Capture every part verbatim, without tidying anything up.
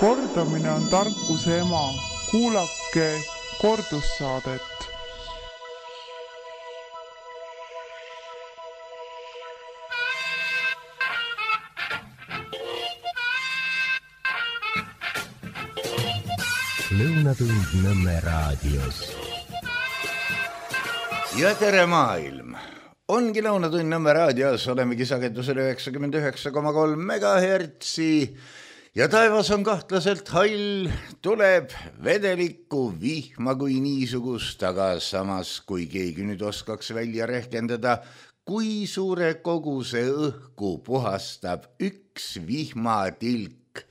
Kordamine on tarkuse ema. Kuulake kordussaadet. Lõunatund Nõmme raadios. Ja tere maailm! Ongi Lõunatund Nõmme raadios, olemegi sagedusel üheksakümmend üheksa koma kolm megahertsi ja taevas on kahtlaselt hall, tuleb vedelikku vihma kui niisugust, aga samas kui keegi nüüd oskaks välja rehkendada, kui suure koguse õhku puhastab üks vihmatilk,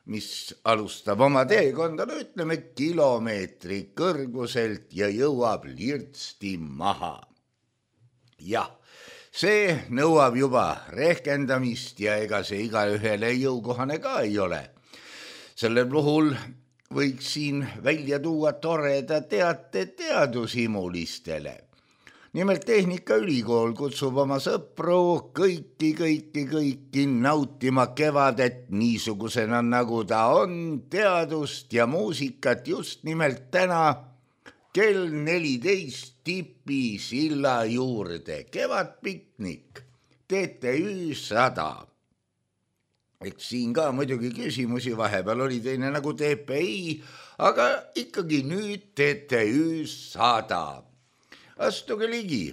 mis alustab oma teekonda, no ütleme kilomeetri kõrguselt ja jõuab lirtsti maha. Jah, see nõuab juba rehkendamist ja ega see igaühele jõukohane ka ei ole. Sellel puhul võiks siin välja tuua toreda teate teadushimulistele. Nimelt Tehnikaülikool kutsub oma sõpru kõiki, kõiki, kõiki nautima kevadet niisugusena, nagu ta on, teadust ja muusikat just nimelt täna kell neliteist Tipi silla juurde. Kevadpiknik, T T Ü sada. Eks siin ka muidugi küsimusi vahepeal oli teine nagu T P I, aga ikkagi nüüd T T Ü sada. Astuge ligi.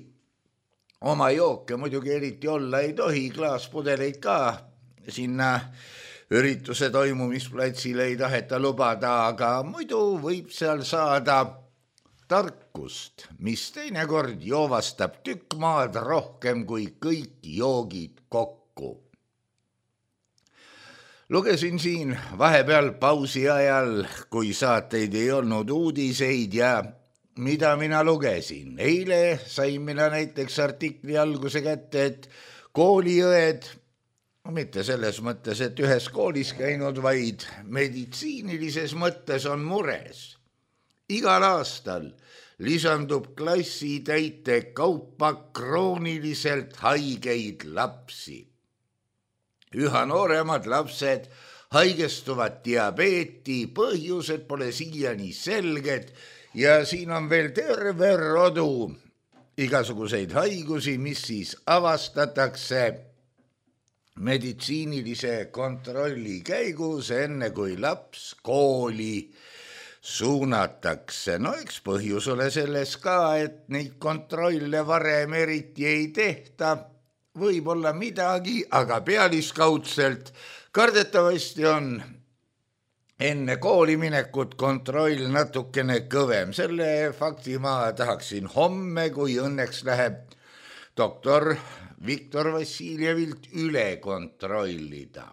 Oma jooke muidugi eriti olla ei tohi, klaaspudeleid ka sinna ürituse toimumisplatsile ei taheta lubada, aga muidu võib seal saada tarkust, mis teinekord joovastab tükk maad rohkem kui kõik joogid kokku. Lugesin siin vahepeal pausi ajal, kui saateid ei olnud uudiseid ja mida mina lugesin. Eile sain mina näiteks artikli alguse kätte, et kooliõed, mitte selles mõttes, et ühes koolis käinud, vaid meditsiinilises mõttes on mures. Igal aastal lisandub klassitäite kaupa krooniliselt haigeid lapsi. Üha nooremad lapsed haigestuvad diabeeti, põhjused pole siiani selged ja siin on veel terve rodu igasuguseid haigusi, mis siis avastatakse meditsiinilise kontrolli käigus, enne kui laps kooli suunatakse. No eks põhjus ole selles ka, et neid kontrolle varem eriti ei tehta. Võib-olla midagi, aga pealiskaudselt kardetavasti on enne kooli minekut kontroll natukene kõvem. Selle fakti ma tahaksin homme, kui õnneks läheb doktor Viktor Vassiljevilt üle kontrollida.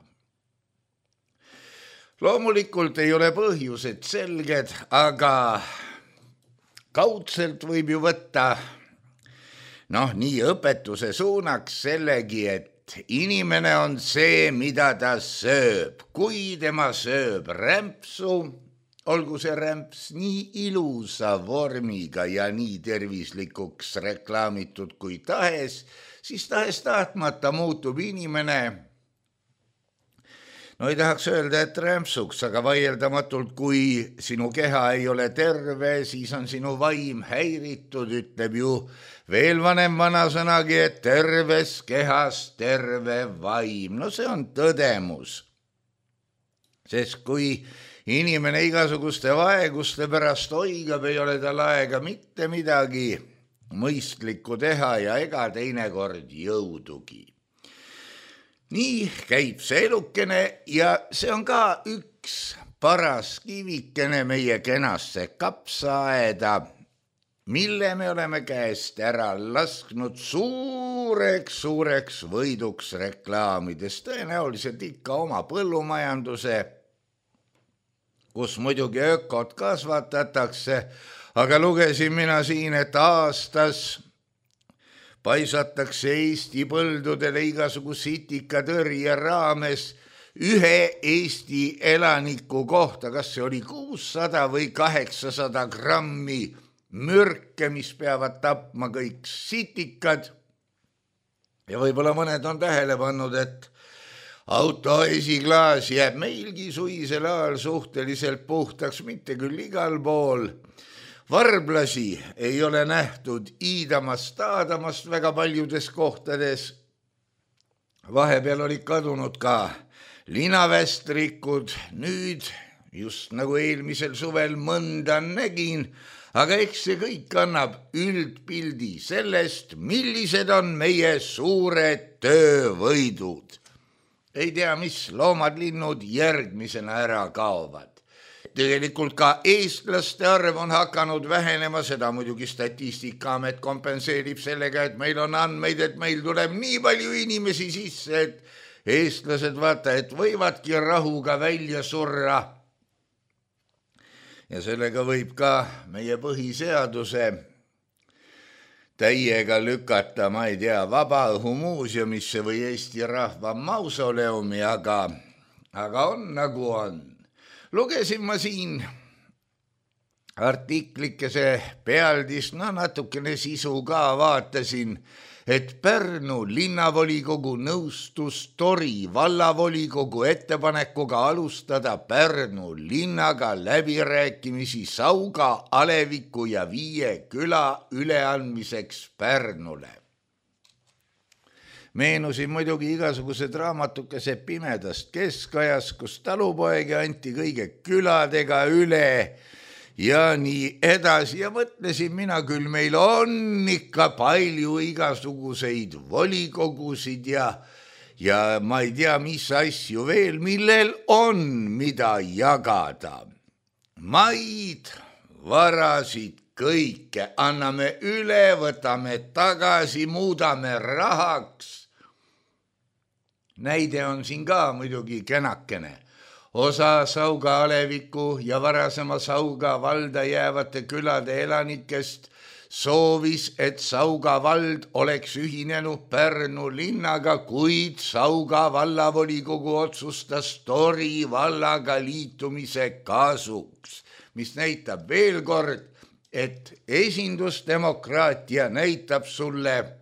Loomulikult ei ole põhjused selged, aga kaudselt võib ju võtta noh, nii õpetuse suunaks sellegi, et inimene on see, mida ta sööb. Kui tema sööb rämpsu, olgu see rämps nii ilusa vormiga ja nii tervislikuks reklaamitud kui tahes, siis tahes tahtmata muutub inimene, no ei tahaks öelda, et rämpsuks, aga vaieldamatult, kui sinu keha ei ole terve, siis on sinu vaim häiritud, ütleb ju veel vanem vanasõnagi, et terves kehas terve vaim. No see on tõdemus. Sest kui inimene igasuguste vaeguste pärast oigab, ei ole tal aega mitte midagi mõistlikku teha ja ega teinekord jõudugi. Nii käib see elukene ja see on ka üks paras kivikene meie kenasse kapsaaeda, mille me oleme käest ära lasknud suureks, suureks võiduks reklaamides. Tõenäoliselt ikka oma põllumajanduse, kus muidugi ökot kasvatatakse, aga lugesin mina siin, et aastas paisatakse Eesti põldudele igasugu sitikatõrje raames ühe Eesti elaniku kohta, kas see oli kuussada või kaheksasada grammi mürke, mis peavad tapma kõik sitikad. Ja võib-olla mõned on tähele pannud, et auto esiklaas jääb meilgi suisel ajal suhteliselt puhtaks, mitte küll igal pool. Varblasi ei ole nähtud iidamast, taadamast väga paljudes kohtades. Vahepeal olid kadunud ka linavästrikud, nüüd just nagu eelmisel suvel mõnda nägin, aga eks see kõik annab üldpildi sellest, millised on meie suured töövõidud. Ei tea, mis loomad, linnud järgmisena ära kaovad. Tegelikult ka eestlaste arv on hakanud vähenema, seda muidugi Statistikaamet kompenseerib sellega, et meil on andmeid, et meil tuleb nii palju inimesi sisse, et eestlased vaata, et võivadki rahuga välja surra. Ja sellega võib ka meie põhiseaduse täiega lükata, ma ei tea, Vabaõhumuuseumisse või Eesti Rahva mausoleumi, aga, aga on nagu on. Lugesin ma siin artiklikese pealdist, no natukene sisu ka vaatasin, et Pärnu linnavolikogu nõustus Tori vallavolikogu ettepanekuga alustada Pärnu linnaga läbirääkimisi Sauga, Aleviku ja Viie küla üleandmiseks Pärnule. Meenusin muidugi igasugused raamatukese pimedast keskajas, kus talupoegi anti kõige küladega üle ja nii edasi. Ja mõtlesin mina küll, meil on ikka palju igasuguseid volikogusid ja, ja ma ei tea, mis asju veel, millel on mida jagada. Maid, varasid, kõike anname üle, võtame tagasi, muudame rahaks. Näide on siin ka muidugi kenakene. Osa Sauga, Aleviku ja varasema Sauga valda jäävate külade elanikest soovis, et Sauga vald oleks ühinenud Pärnu linnaga, kuid Sauga vallavolikogu otsustas Tori vallaga liitumise kasuks, mis näitab veel kord, et esindusdemokraatia näitab sulle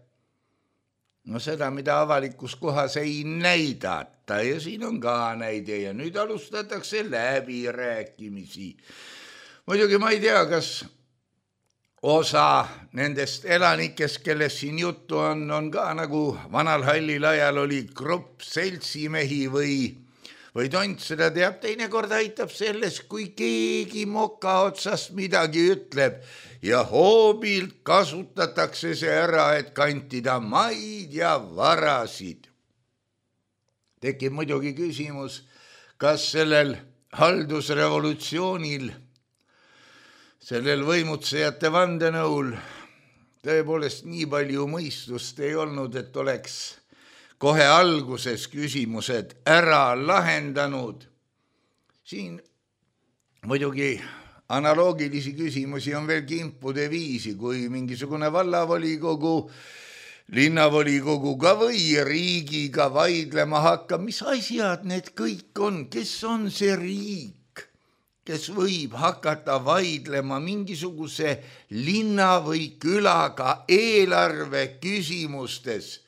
no seda, mida avalikus kohas ei näidata ja siin on ka näide ja nüüd alustatakse läbirääkimisi. Muidugi ma ei tea, kas osa nendest elanikest, kellest siin juttu on, on ka nagu vanal hallil ajal oli grupp seltsimehi või, või tont, seda teab, teinekord aitab selles, kui keegi moka otsast midagi ütleb ja hoobilt kasutatakse see ära, et kantida maid ja varasid. Tekib muidugi küsimus, kas sellel haldusrevolutsioonil, sellel võimutsejate vandenõul tõepoolest nii palju mõistust ei olnud, et oleks kohe alguses küsimused ära lahendanud. Siin muidugi analoogilisi küsimusi on veel kimpude viisi, kui mingisugune vallavolikogu, linnavolikoguga või riigiga vaidlema hakkab. Mis asjad need kõik on? Kes on see riik, kes võib hakata vaidlema mingisuguse linna või külaga eelarve küsimustes?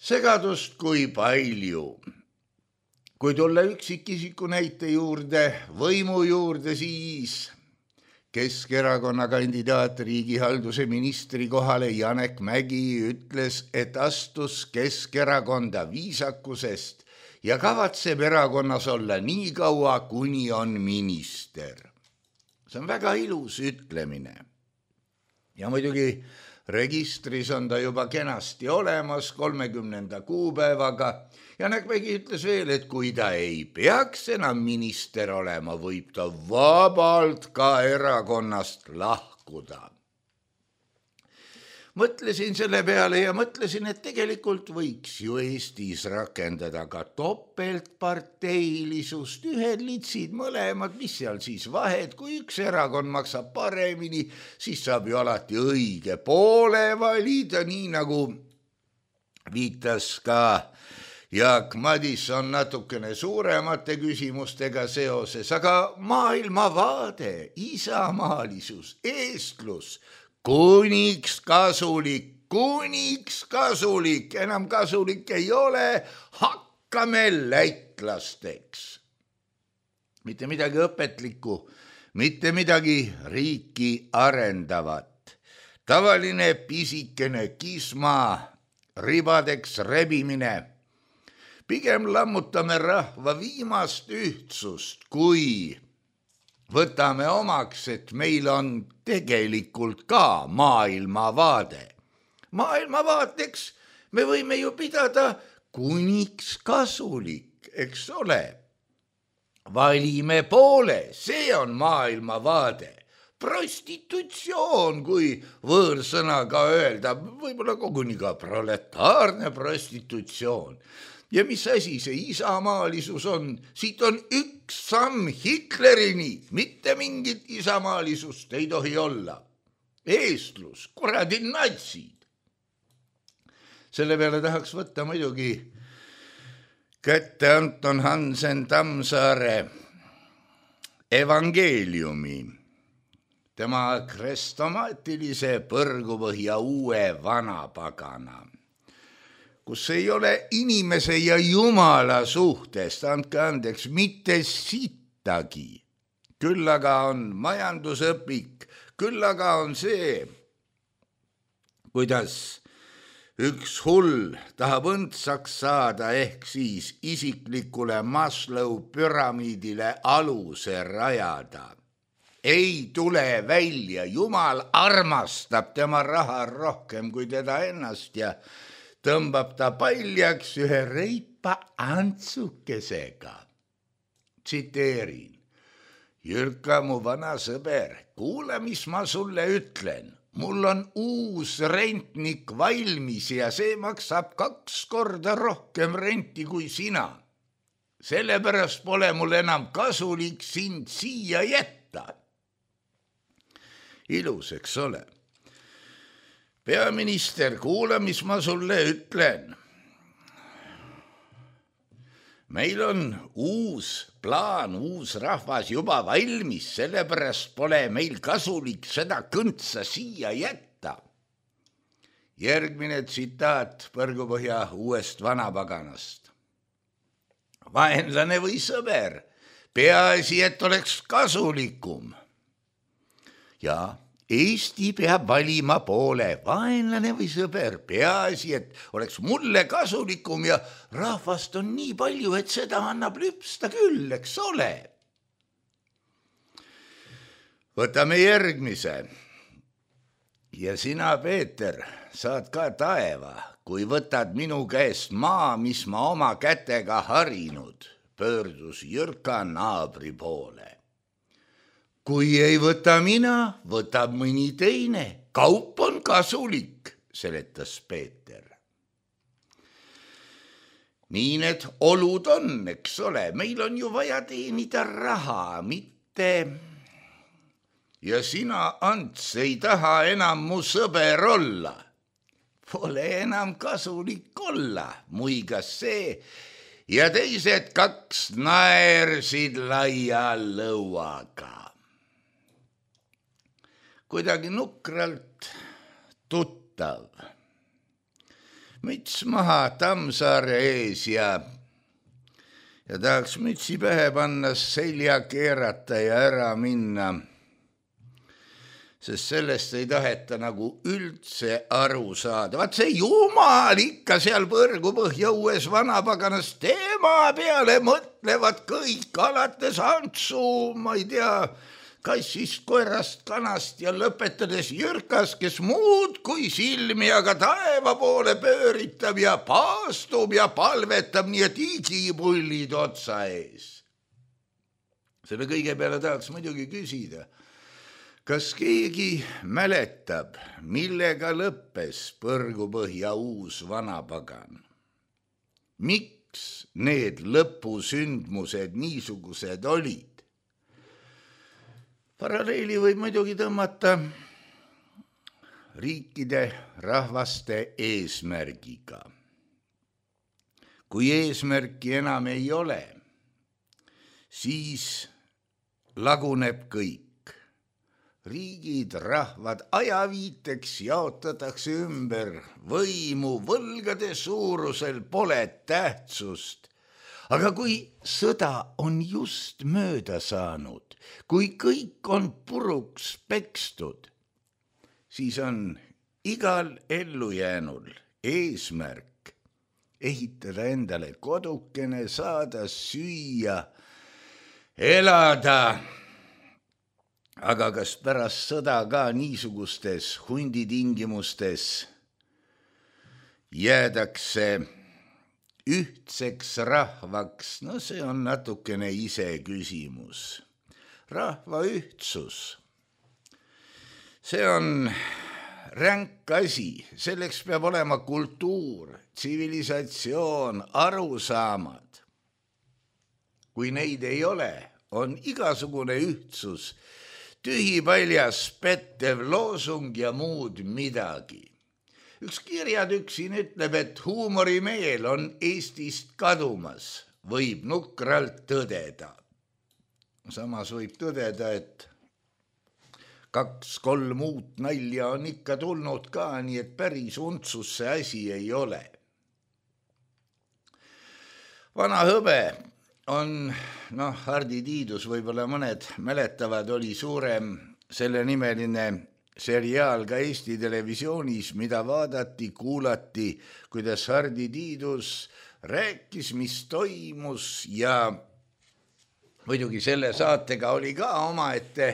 Segadust kui palju. Kui tulla üksikisiku näite juurde, võimu juurde, siis Keskerakonna kandidaat riigihalduse ministri kohale Janek Mägi ütles, et astus Keskerakonda viisakusest ja kavatseb erakonnas olla nii kaua, kuni on minister. See on väga ilus ütlemine. Ja muidugi registris on ta juba kenasti olemas kolmekümnenda kuupäevaga. Janek Mägi ütles veel, et kui ta ei peaks enam minister olema, võib ta vabalt ka erakonnast lahkuda. Mõtlesin selle peale ja mõtlesin, et tegelikult võiks ju Eestis rakendada ka topeltparteilisust, ühed litsid mõlemad, mis seal siis vahed, kui üks erakond maksab paremini, siis saab ju alati õige poole valida, nii nagu viitas ka Jaak Madison natukene suuremate küsimustega seoses, aga maailmavaade, isamaalisus, eestlus, kuniks kasulik, kuniks kasulik, enam kasulik ei ole, hakk hakkame läitlasteks. Mitte midagi õpetlikku, mitte midagi riiki arendavat. Tavaline pisikene kisma, ribadeks rebimine. Pigem lammutame rahva viimast ühtsust, kui võtame omaks, et meil on tegelikult ka maailmavaade. Maailmavaateks me võime ju pidada kuniks kasulik, eks ole. Valime poole, see on maailmavaade. Prostitutsioon, kui võõrsõnaga öelda, võib-olla koguni ka proletaarne prostitutsioon. Ja mis asi see isamaalisus on? Siit on üks samm Hitlerini, mitte mingit isamaalisust ei tohi olla. Eestlus, kuradi natsid. Selle peale tahaks võtta muidugi kätte Anton Hansen Tammsaare evangeeliumi, tema krestomaatilise põrgupõhja uue vanapagana, kus ei ole inimese ja Jumala suhtest, andke andeks, mitte sittagi. Küll aga on majandusõpik, küll aga on see, kuidas üks hull tahab õndsaks saada ehk siis isiklikule Maslow püramiidile aluse rajada. Ei tule välja, Jumal armastab tema raha rohkem kui teda ennast ja tõmbab ta paljaks ühe reipa antsukesega. Tsiteerin. Jürka, mu vana sõber, kuule, mis ma sulle ütlen. Mul on uus rentnik valmis ja see maksab kaks korda rohkem renti kui sina. Sellepärast pole mul enam kasulik sind siia jätta. Ilus, eks ole. Peaminister, kuule, mis ma sulle ütlen. Meil on uus plaan, uus rahvas juba valmis, sellepärast pole meil kasulik seda kõntsa siia jätta. Järgmine tsitaat põrgupõhja uuest vanapaganast. Vaenlane või sõber, peaasi, et oleks kasulikum. Ja Eesti peab valima poole, vaenlane või sõber, peaasi, et oleks mulle kasulikum ja rahvast on nii palju, et seda annab lüpsta küll, eks ole. Võtame järgmise. Ja sina, Peeter, saad ka taeva, kui võtad minu käest maa, mis ma oma kätega harinud, pöördus Jürka naabri poole. Kui ei võta mina, võtab mõni teine. Kaup on kasulik, seletas Peeter. Nii need olud on, eks ole. Meil on ju vaja teenida raha, mitte... Ja sina, Ants, ei taha enam mu sõber olla. Pole enam kasulik olla, muigas see. Ja teised kaks naersid laia lõuaga. Kuidagi nukralt tuttav. Müts maha Tammsaare ees ja, ja tahaks mütsi pähe panna, selja keerata ja ära minna, sest sellest ei taheta nagu üldse aru saada. Vaat see Jumal ikka seal põrgupõhja uues vanapaganas tema peale mõtlevad kõik, alates Antsu, ma ei tea, kassist, koerast, kanast ja lõpetades Jürkas, kes muud kui silmi aga taeva poole pööritab ja paastub ja palvetab, nii et igipullid otsa ees. Selle kõige peale tahaks muidugi küsida, kas keegi mäletab, millega lõppes põrgupõhja uus vanapagan? Miks need lõpusündmused niisugused olid? Paralleeli võib muidugi tõmmata riikide, rahvaste eesmärgiga. Kui eesmärki enam ei ole, siis laguneb kõik. Riigid, rahvad ajaviiteks jaotatakse ümber, võimu võlgade suurusel pole tähtsust. aga kui sõda on just mööda saanud, kui kõik on puruks pekstud, siis on igal ellujäänul eesmärk ehitada endale kodukene, saada süüa, elada. Aga kas pärast sõda ka niisugustes hunditingimustes jäädakse ühtseks rahvaks? No see on natukene ise küsimus. Rahva ühtsus, see on ränk asi, selleks peab olema kultuur, tsivilisatsioon, arusaamad. Kui neid ei ole, on igasugune ühtsus tühipaljas pettev loosung ja muud midagi. Üks kirjatükk siin ütleb, et huumorimeel on Eestist kadumas, võib nukralt tõdeda. Samas võib tõdeda, et kaks-kolm uut nalja on ikka tulnud ka, nii et päris untsus see asi ei ole. Vana hõbe on, noh, Hardi Tiidus võib-olla mõned mäletavad, oli suurem selle nimeline seriaal ka Eesti televisioonis, mida vaadati, kuulati, kuidas Hardi Tiidus rääkis, mis toimus ja muidugi selle saatega oli ka omaette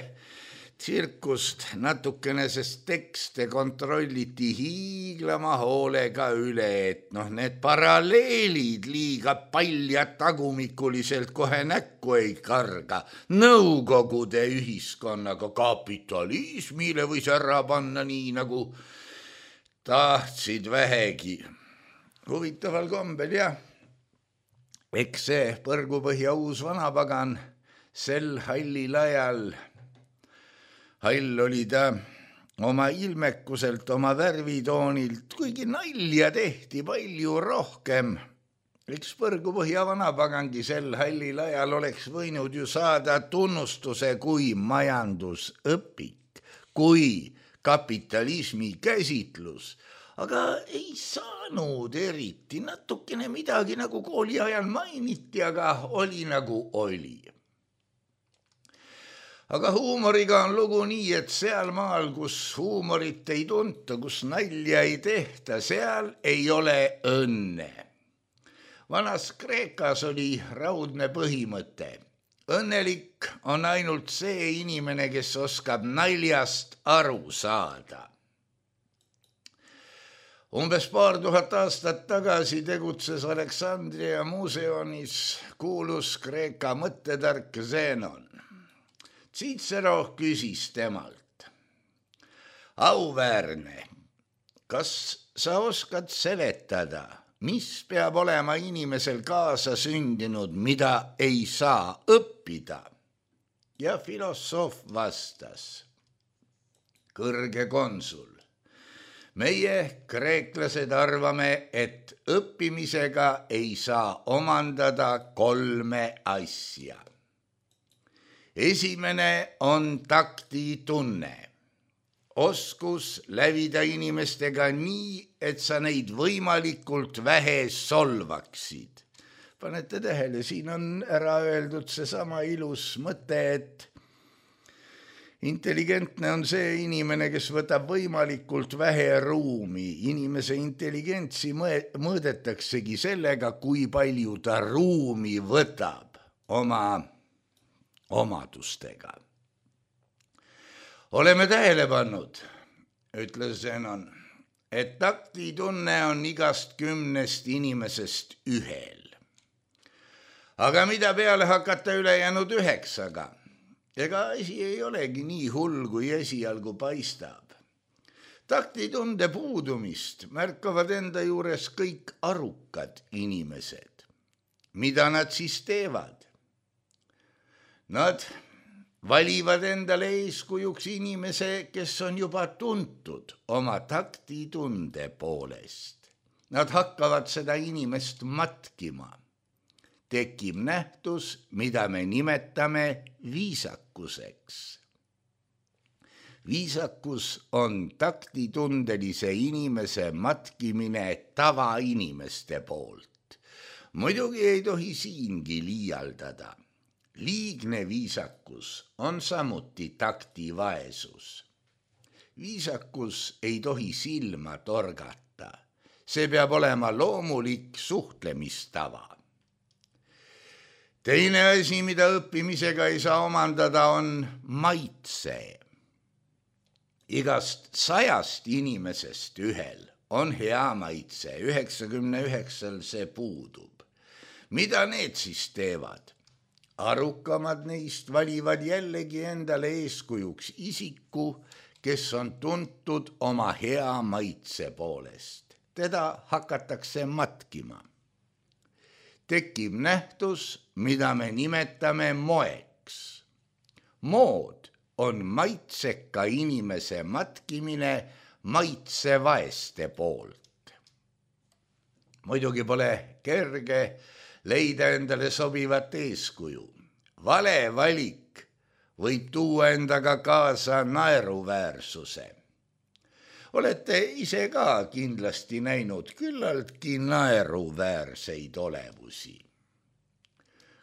tsirkust natukene, sest tekste kontrolliti hiiglama hoolega üle, et noh, need paralleelid liiga palja tagumikuliselt kohe näkku ei karga. Nõukogude ühiskonnaga kapitalismile võis ära panna nii, nagu tahtsid vähegi. Huvitaval kombel, jah. Eks see Põrgupõhja uus vanapagan sel hallil ajal, hall oli ta oma ilmekuselt, oma värvitoonilt, kuigi nalja tehti palju rohkem. Eks Põrgupõhja vanapagangi sel hallil ajal oleks võinud ju saada tunnustuse kui majandusõpik, kui kapitalismi käsitlus, aga ei saanud eriti, natukene midagi nagu kooli ajal mainiti, aga oli nagu oli. Aga huumoriga on lugu nii, et seal maal, kus huumorit ei tunta, kus nalja ei tehta, seal ei ole õnne. Vanas Kreekas oli raudne põhimõte. Õnnelik on ainult see inimene, kes oskab naljast aru saada. Umbes paar tuhat aastat tagasi tegutses Aleksandria muuseumis kuulus Kreeka mõttetark Zenon. Cicero küsis temalt: auväärne, kas sa oskad seletada, mis peab olema inimesel kaasa sündinud, mida ei saa õppida? Ja filosoof vastas: kõrge konsul, meie kreeklased arvame, et õppimisega ei saa omandada kolme asja. Esimene on taktitunne, oskus lävida inimestega nii, et sa neid võimalikult vähe solvaksid. Panete tähele, siin on ära öeldud seesama ilus mõte, et intelligentne on see inimene, kes võtab võimalikult vähe ruumi. Inimese intelligentsi mõõdetaksegi sellega, kui palju ta ruumi võtab oma omadustega. Oleme tähele pannud, ütles Zenon, et taktitunne on igast kümnest inimesest ühel. Aga mida peale hakata ülejäänud üheksaga? Ega asi ei olegi nii hull, kui esialgu paistab. Taktitunde puudumist märkavad enda juures kõik arukad inimesed. Mida nad siis teevad? Nad valivad endale eeskujuks inimese, kes on juba tuntud oma taktitunde poolest. Nad hakkavad seda inimest matkima. Tekib nähtus, mida me nimetame viisakuseks. Viisakus on taktitundelise inimese matkimine tavainimeste poolt. muidugi ei tohi siingi liialdada. Liigne viisakus on samuti taktivaesus. Viisakus ei tohi silma torgata. See peab olema loomulik suhtlemistava. Teine asi, mida õppimisega ei saa omandada, on maitse. Igast sajast inimesest ühel on hea maitse, üheksakümne üheksal see puudub. Mida need siis teevad? Arukamad neist valivad jällegi endale eeskujuks isiku, kes on tuntud oma hea maitse poolest. Teda hakatakse matkima. Tekib nähtus, mida me nimetame moeks. Mood on maitseka inimese matkimine maitsevaeste poolt. Muidugi pole kerge leida endale sobivat eeskuju. Vale valik võib tuua endaga kaasa naeruväärsuse. Olete ise ka kindlasti näinud küllaltki naeruväärseid olevusi.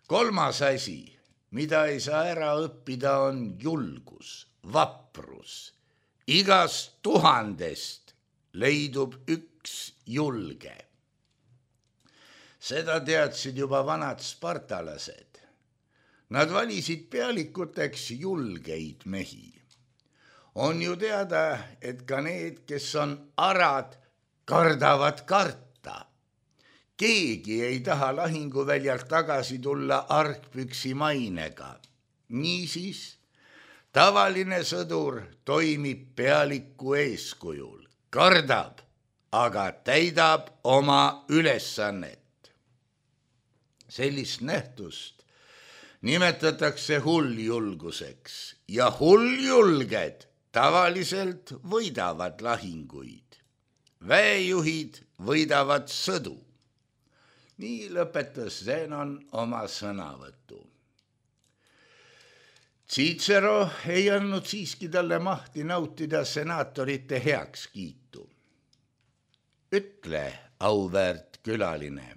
Kolmas asi, mida ei saa ära õppida, on julgus, vaprus. Igast tuhandest leidub üks julge. Seda teadsid juba vanad spartalased. Nad valisid pealikuteks julgeid mehi. On ju teada, et ka need, kes on arad, kardavad karta. Keegi ei taha lahinguväljalt tagasi tulla argpüksi mainega. Niisiis, tavaline sõdur toimib pealiku eeskujul, kardab, aga täidab oma ülesannet. Sellist nähtust nimetatakse hulljulguseks ja hulljulged tavaliselt võidavad lahinguid. Väejuhid võidavad sõdu. Nii lõpetas Zenon oma sõnavõtu. Cicero ei andnud siiski talle mahti nautida senaatorite heakskiitu. Ütle, auväärt külaline,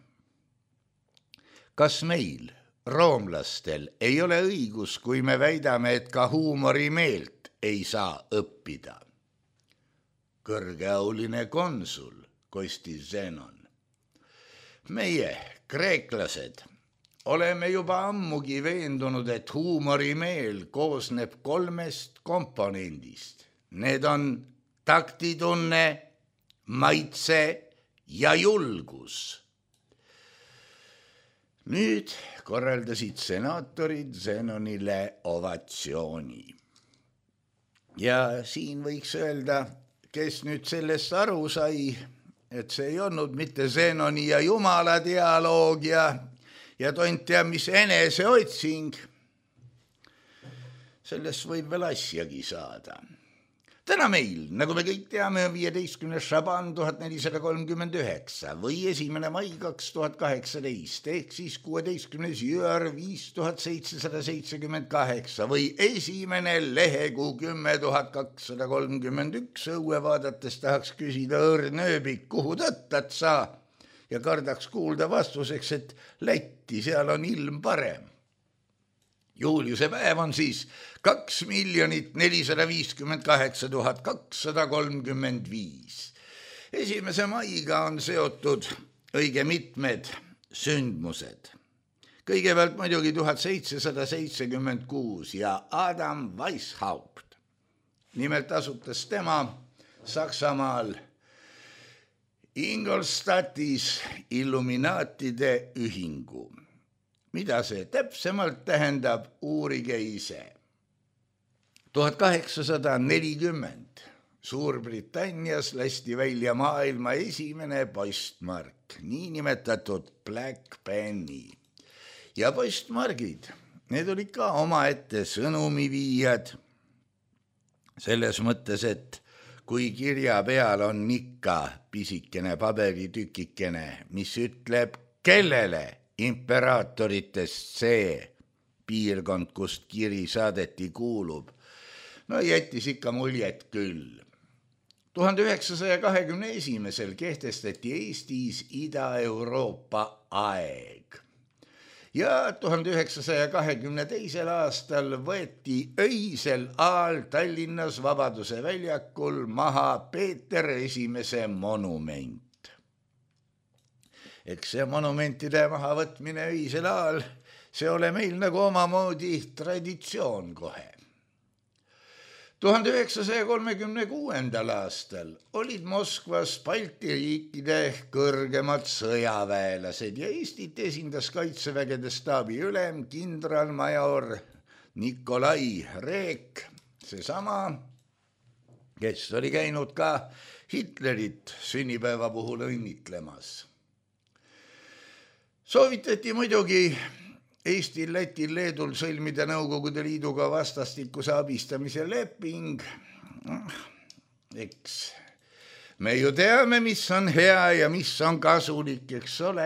kas meil, roomlastel, ei ole õigus, kui me väidame, et ka huumorimeelt ei saa õppida? Kõrgeauline konsul, kostis Zenon. Meie, kreeklased, oleme juba ammugi veendunud, et huumorimeel koosneb kolmest komponendist. Need on taktitunne, maitse ja julgus. Nüüd korraldasid senaatorid Zenonile ovatsiooni. Ja siin võiks öelda, kes nüüd sellest aru sai, et see ei olnud mitte Zenoni ja Jumala dialoog ja, ja tont tea, mis eneseotsing. Sellest võib veel asjagi saada. Täna meil, nagu me kõik teame, on viieteistkümnes Šaban tuhat nelisada kolmkümmend üheksa või esimene mai kaks tuhat kaheksateist ehk siis kuueteistkümnes Jüar viis tuhat seitsesada seitsekümmend kaheksa või esimene lehekuu kümme tuhat kakssada kolmkümmend üks. Õue vaadates tahaks küsida õrnööbik, kuhu tõttad sa, ja kardaks kuulda vastuseks, et Lätti, seal on ilm parem. Juuliuse päev on siis kaks miljonit nelisada viiskümmend kaheksa tuhat kakssada kolmkümmend viis. Esimese maiga on seotud õige mitmed sündmused. Kõigepealt muidugi tuhat seitsesada seitsekümmend kuus ja Adam Weishaupt. Nimelt asutas tema Saksamaal Ingolstadtis Illuminaatide ühingu. Mida see täpsemalt tähendab, uurige ise. tuhat kaheksasada nelikümmend Suurbritannias lasti välja maailma esimene postmark, niinimetatud Black Penny. Ja postmargid, need olid ka omaette sõnumiviijad. Selles mõttes, et kui kirja peal on ikka pisikene paberitükikene, mis ütleb, kellele imperaatoritest see piirkond, kust kiri saadeti, kuulub, no jättis ikka muljet küll. tuhande üheksasaja kahekümne esimesel kehtestati Eestis Ida-Euroopa aeg ja tuhande üheksasaja kahekümne teisel aastal võeti öisel ajal Tallinnas Vabaduse väljakul maha Peeter Esimese monument. Eks see monumentide mahavõtmine öisel ajal, see ole meil nagu omamoodi traditsioon kohe. tuhande üheksasaja kolmekümne kuuendal aastal olid Moskvas Balti riikide kõrgemad sõjaväelased ja Eestit esindas kaitsevägede staabi ülem kindralmajor Nikolai Reek, seesama, kes oli käinud ka Hitlerit sünnipäeva puhul õnnitlemas. Soovitati muidugi Eestil, Lätil, Leedul sõlmida Nõukogude Liiduga vastastikuse abistamise leping. Eks me ju teame, mis on hea ja mis on kasulik, eks ole.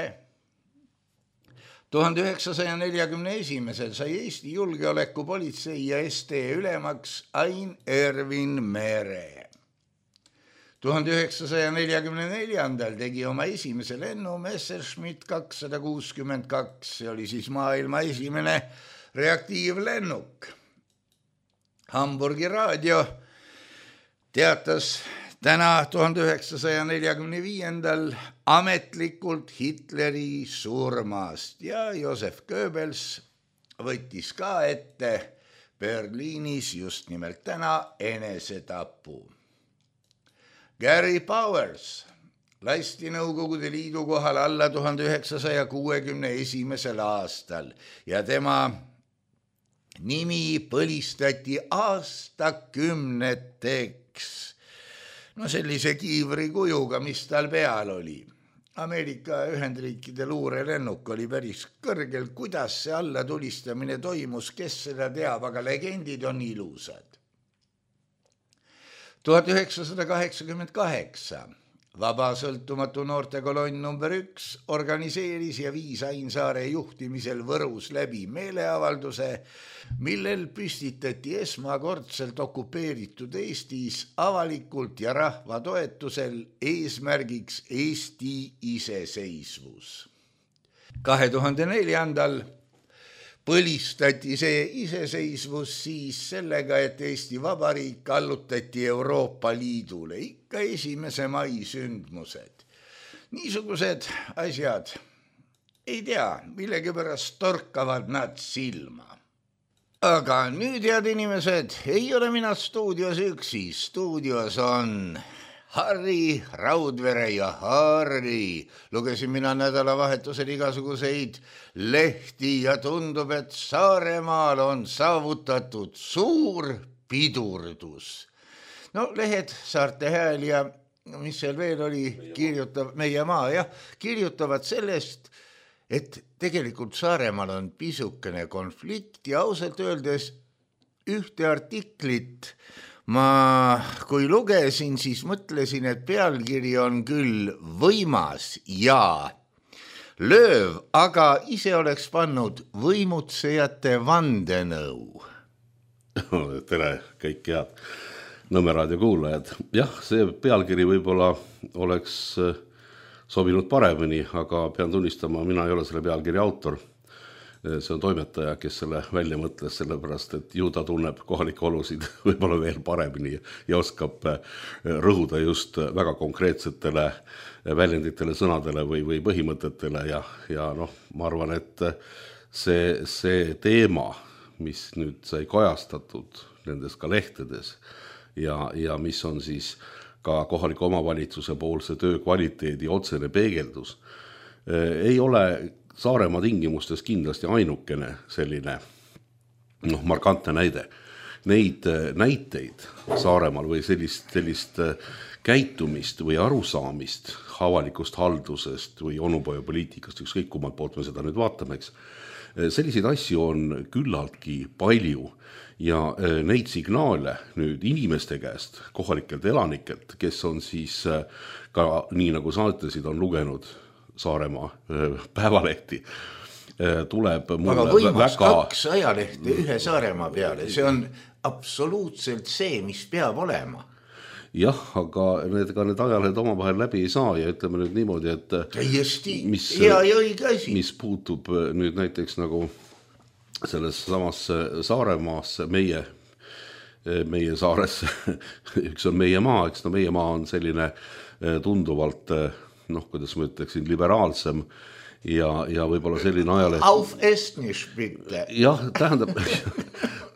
tuhande üheksasaja neljakümne esimesel sai Eesti julgeolekupolitsei ja S T ülemaks Ain Ervin Mere. tuhande üheksasaja neljakümne neljandal tegi oma esimese lennu Messerschmitt kakssada kuuskümmend kaks, see oli siis maailma esimene reaktiivlennuk. Hamburgi raadio teatas täna tuhande üheksasaja neljakümne viiendal ametlikult Hitleri surmast ja Josef Goebbels võttis ka ette Berliinis just nimelt täna enesetapu. Gary Powers lasti Nõukogude Liidu kohal alla tuhande üheksasaja kuuekümne esimesel aastal ja tema nimi põlistati aastakümneteks. No sellise kiivri kujuga, mis tal peal oli. Ameerika Ühendriikide luurelennuk oli päris kõrgel, kuidas see alla tulistamine toimus, kes seda teab, aga legendid on ilusad. tuhat üheksasada kaheksakümmend kaheksa Vaba sõltumatu noortekolonn number üks organiseeris ja viis Ain Saare juhtimisel Võrus läbi meeleavalduse, millel püstitati esmakordselt okupeeritud Eestis avalikult ja rahva toetusel eesmärgiks Eesti iseseisvus. kahe tuhande neljandal põlistati see iseseisvus siis sellega, et Eesti Vabariik allutati Euroopa Liidule, ikka esimese mai sündmused. Niisugused asjad, ei tea, millegipärast torkavad nad silma. Aga nüüd, head inimesed, ei ole mina stuudios üksi, stuudios on Harri Raudvere ja Harri. Lugesin mina nädalavahetusel igasuguseid lehti ja tundub, et Saaremaal on saavutatud suur pidurdus. No lehed, Saarte Hääl ja mis seal veel oli, kirjutav, meie maa, jah, kirjutavad sellest, et tegelikult Saaremaal on pisukene konflikt ja ausalt öeldes ühte artiklit ma, kui lugesin, siis mõtlesin, et pealkiri on küll võimas ja lööv, aga ise oleks pannud võimutsejate vandenõu. Tere, kõik head Nõmme raadio kuulajad. Jah, see pealkiri võib-olla oleks sobinud paremini, aga pean tunnistama, mina ei ole selle pealkiri autor. See on toimetaja, kes selle välja mõtles, sellepärast, et ju ta tunneb kohalikke olusid võib-olla veel paremini ja oskab rõhuda just väga konkreetsetele väljenditele, sõnadele või, või põhimõtetele ja, ja noh, ma arvan, et see, see teema, mis nüüd sai kajastatud nendes ka lehtedes ja, ja mis on siis ka kohaliku omavalitsuse poolse töö kvaliteedi otsene peegeldus, ei ole Saaremaa tingimustes kindlasti ainukene selline noh, markantne näide. Neid näiteid Saaremaal või sellist, sellist käitumist või arusaamist avalikust haldusest või onupojapoliitikast, ükskõik kummalt poolt me seda nüüd vaatame, eks. Selliseid asju on küllaltki palju ja neid signaale nüüd inimeste käest, kohalikelt elanikelt, kes on siis ka nii nagu sa ütlesid, on lugenud Saaremaa päevalehti, tuleb mulle aga võimas väga... kaks ajalehti ühe Saaremaa peale, see on absoluutselt see, mis peab olema. jah, aga need, ka need ajalehed omavahel läbi ei saa ja ütleme nüüd niimoodi, et täiesti mis, hea ja õige asi. Mis puutub nüüd näiteks nagu selles samasse Saaremaasse, meie, meie saaresse, üks on meie maa, eks no meie maa on selline tunduvalt, noh, kuidas ma ütleksin, liberaalsem ja, ja võib-olla selline ajaleht. Auf Estnisch bitte. Jah, tähendab,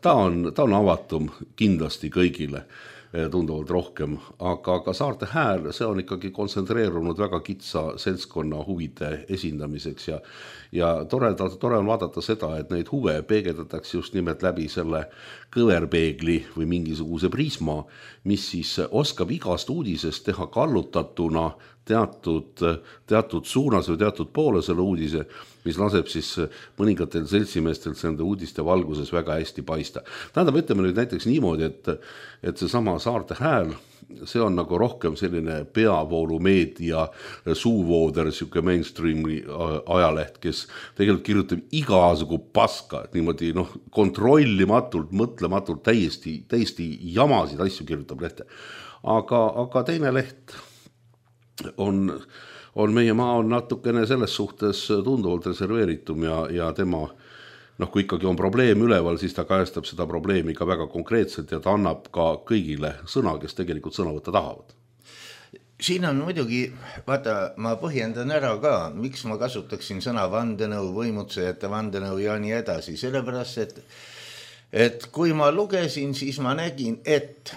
ta on, ta on avatum kindlasti kõigile tunduvalt rohkem, aga ka Saarte Hääl, see on ikkagi kontsentreerunud väga kitsa seltskonna huvide esindamiseks ja, ja tore, tore on vaadata seda, et neid huve peegeldatakse just nimelt läbi selle kõverpeegli või mingisuguse prisma, mis siis oskab igast uudisest teha kallutatuna teatud, teatud suunas või teatud poole selle uudise, mis laseb siis mõningatel seltsimeestel nende uudiste valguses väga hästi paista. Tähendab, ütleme nüüd näiteks niimoodi, et, et see sama Saarte Hääl, see on nagu rohkem selline peavoolumeedia suuvooder, siuke mainstreami ajaleht, kes tegelikult kirjutab igasugu paska, et niimoodi noh, kontrollimatult, mõtlematult, täiesti, täiesti jamasid asju kirjutab lehte. Aga, aga teine leht on, on meie maa on natukene selles suhtes tunduvalt reserveeritum ja, ja tema, noh, kui ikkagi on probleem üleval, siis ta kajastab seda probleemi ka väga konkreetselt ja ta annab ka kõigile sõna, kes tegelikult sõna võtta tahavad. Siin on muidugi, vaata, ma põhjendan ära ka, miks ma kasutaksin sõna vandenõu, võimutsejate vandenõu ja nii edasi, sellepärast, et, et kui ma lugesin, siis ma nägin, et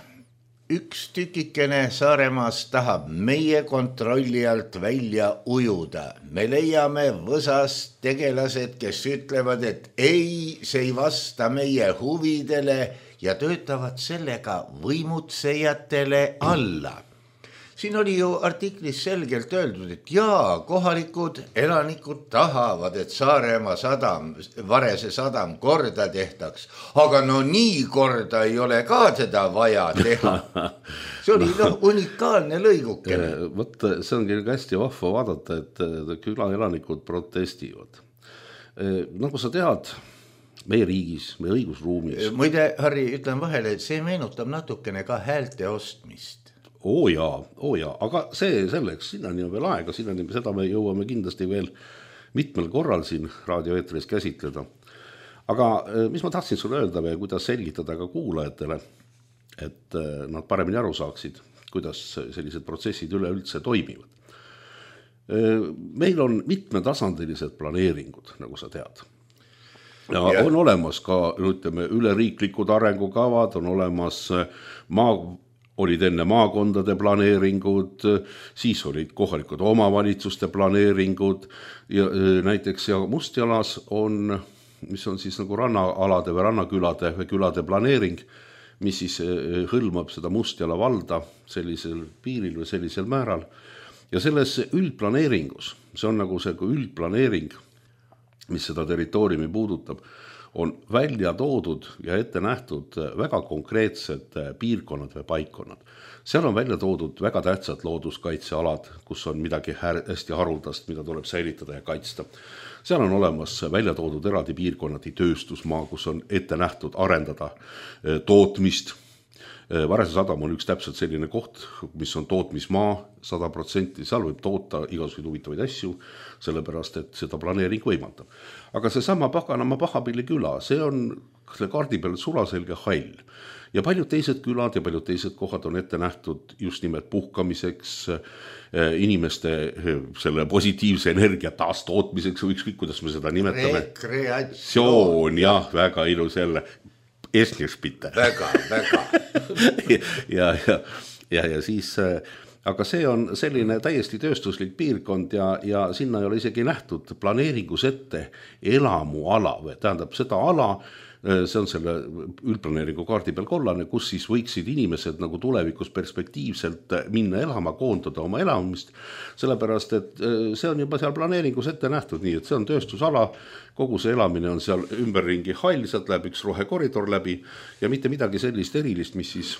üks tükikene Saaremaas tahab meie kontrolli alt välja ujuda. Me leiame võsas tegelased, kes ütlevad, et ei, see ei vasta meie huvidele ja töötavad sellega võimutsejatele alla. Siin oli ju artiklis selgelt öeldud, et jaa, kohalikud elanikud tahavad, et Saaremaa sadam, Varese sadam korda tehtaks, aga no nii korda ei ole ka teda vaja teha. See oli no, unikaalne lõigukene. Võt, see ongi hästi vahva vaadata, et küla elanikud protestivad. Nagu sa tead, meie riigis, meie õigusruumis. Muide, Harri, ütlen vahele, et see meenutab natukene ka häälte ostmist. Oo jaa, oo jaa, aga see selleks, sinnani on veel aega, sinnani seda me jõuame kindlasti veel mitmel korral siin raadioeetris käsitleda. Aga mis ma tahtsin sulle öelda või kuidas selgitada ka kuulajatele, et nad paremini aru saaksid, kuidas sellised protsessid üleüldse toimivad. Meil on mitmetasandilised planeeringud, nagu sa tead. Ja yeah. On olemas ka, ütleme, üleriiklikud arengukavad, on olemas maa olid enne maakondade planeeringud, siis olid kohalikud omavalitsuste planeeringud ja näiteks ja Mustjalas on, mis on siis nagu rannaalade või rannakülade või külade planeering, mis siis hõlmab seda Mustjala valda sellisel piiril või sellisel määral. Ja selles üldplaneeringus, see on nagu see üldplaneering, mis seda territooriumi puudutab, on välja toodud ja ette nähtud väga konkreetsed piirkonnad või paikkonnad. Seal on välja toodud väga tähtsad looduskaitsealad, kus on midagi hästi haruldast, mida tuleb säilitada ja kaitsta. Seal on olemas välja toodud eraldi piirkonnad tööstusmaa, kus on ette nähtud arendada tootmist. Varese sadam on üks täpselt selline koht, mis on tootmismaa sada protsenti, seal võib toota igasuguseid huvitavaid asju, sellepärast, et seda planeering võimaldab. Aga see sama Paganama Pahapilli küla, see on kaardi peal sulaselge hall. Ja paljud teised külad ja paljud teised kohad on ette nähtud just nimelt puhkamiseks, inimeste selle positiivse energia taastootmiseks, või ükskõik, kuidas me seda nimetame. Rekreatsioon. Jah, väga ilus jälle. Estnišpite. Väga, väga. ja, ja, ja, ja siis, aga see on selline täiesti tööstuslik piirkond ja, ja sinna ei ole isegi nähtud planeeringus ette elamuala või tähendab seda ala, see on selle üldplaneeringu kaardi peal kollane, kus siis võiksid inimesed nagu tulevikus perspektiivselt minna elama, koondada oma elamist, sellepärast, et see on juba seal planeeringus ette nähtud, nii et see on tööstusala, kogu see elamine on seal ümberringi hall, sealt läheb üks rohekoridor läbi ja mitte midagi sellist erilist, mis siis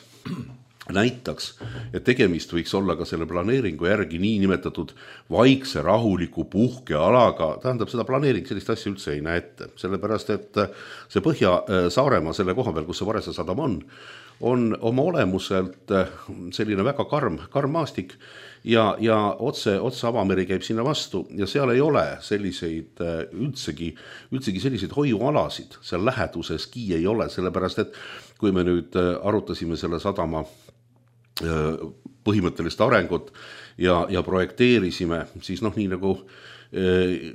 näitaks, et tegemist võiks olla ka selle planeeringu järgi nii nimetatud vaikse rahuliku puhkealaga, tähendab seda planeering sellist asja üldse ei näe ette, sellepärast et see Põhja-Saaremaa selle koha peal, kus see Varese sadam on, on oma olemuselt selline väga karm, karm maastik ja, ja otse, otse avameri käib sinna vastu ja seal ei ole selliseid üldsegi, üldsegi selliseid hoiualasid, seal läheduseski ei ole, sellepärast et kui me nüüd arutasime selle sadama põhimõttelist arengut ja, ja projekteerisime, siis noh, nii nagu eh,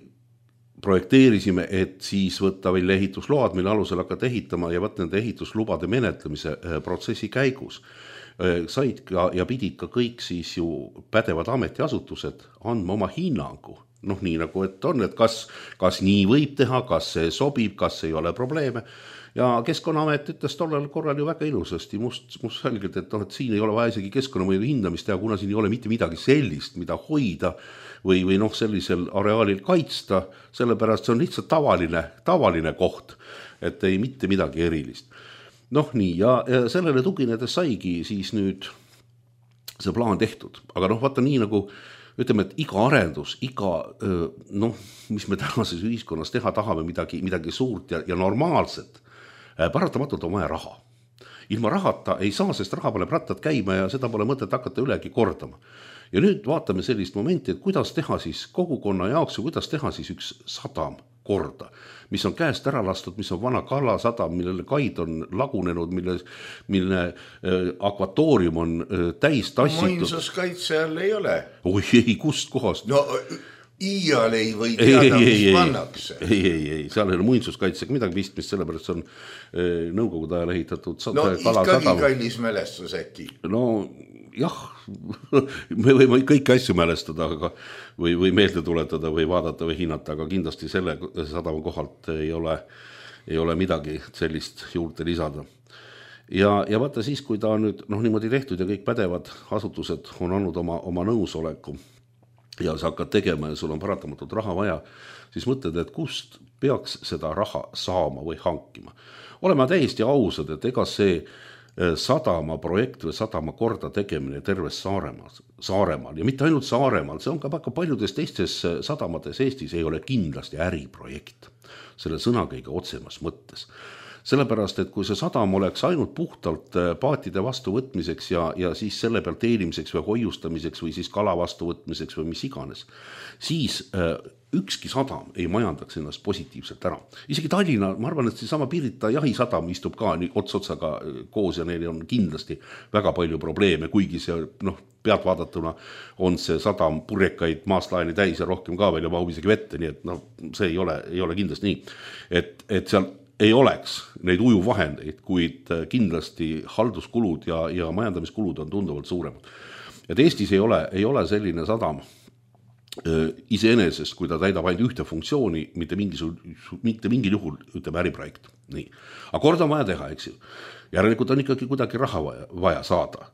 projekteerisime, et siis võtta välja ehitusload, mille alusel hakata ehitama ja võtta nende ehituslubade menetlemise eh, protsessi käigus. Eh, said ka ja pidid ka kõik siis ju pädevad ametiasutused andma oma hinnangu. Noh, nii nagu et on, et kas, kas nii võib teha, kas see sobib, kas ei ole probleeme. Ja Keskkonnaamet ütles tollel korral ju väga ilusasti must, must selgelt, et, no, et siin ei ole vaja isegi keskkonnamõju hindamist teha, kuna siin ei ole mitte midagi sellist, mida hoida või, või noh, sellisel areaalil kaitsta, sellepärast see on lihtsalt tavaline, tavaline koht, et ei mitte midagi erilist. Noh nii, ja, ja sellele tuginedes saigi siis nüüd see plaan tehtud, aga noh, vaata nii nagu ütleme, et iga arendus, iga, noh, mis me tänases ühiskonnas teha tahame midagi, midagi suurt ja, ja normaalset, paratamatult on vaja raha. Ilma rahata ei saa, sest raha paneb rattad käima ja seda pole mõtet hakata ülegi kordama. Ja nüüd vaatame sellist momenti, et kuidas teha siis kogukonna jaoks ja kuidas teha siis üks sadam korda, mis on käest ära lastud, mis on vana kalasadam, millele kaid on lagunenud, mille, mille akvatoorium on täis tassitud. Muinsuskaitse all ei ole. Oi ei, kust kohast? No iial ei või teada, ei, mis ei, pannakse. Ei, ei, ei, seal ei ole muinsuskaitsega midagi pistmist, sellepärast see on nõukogude ajal ehitatud no ikkagi kallis mälestus äkki. No jah, me võime kõiki asju mälestada aga, või, või meelde tuletada või vaadata või hinnata, aga kindlasti selle sadama kohalt ei ole, ei ole midagi sellist juurde lisada. Ja, ja vaata siis, kui ta on nüüd noh, niimoodi tehtud ja kõik pädevad asutused on andnud oma, oma nõusoleku ja sa hakkad tegema ja sul on paratamatult raha vaja, siis mõtled, et kust peaks seda raha saama või hankima. Oleme täiesti ausad, et ega see sadama projekt või sadama korda tegemine terves Saaremaal, Saaremaal ja mitte ainult Saaremaal, see on ka väga paljudes teistes sadamates Eestis ei ole kindlasti äriprojekt selle sõna kõige otsemas mõttes. Sellepärast, et kui see sadam oleks ainult puhtalt paatide vastuvõtmiseks ja, ja siis selle peal teenimiseks või hoiustamiseks või siis kala vastuvõtmiseks või mis iganes, siis äh, ükski sadam ei majandaks ennast positiivselt ära. Isegi Tallinna, ma arvan, et see sama Pirita jahisadam istub ka nii ots otsaga koos ja neil on kindlasti väga palju probleeme, kuigi see noh, pealt vaadatuna on see sadam purjekaid maaslaeni täis ja rohkem ka veel ja mahub isegi vette, nii et no, see ei ole, ei ole kindlasti nii, et, et seal ei oleks neid ujuvahendeid, kuid kindlasti halduskulud ja, ja majandamiskulud on tunduvalt suuremad. Et Eestis ei ole, ei ole selline sadam iseenesest, kui ta täidab ainult ühte funktsiooni, mitte, mitte mingil juhul ütleme äriprojekt. Nii. Aga kord on vaja teha, eks ju. Järelikult on ikkagi kuidagi raha vaja, vaja saada.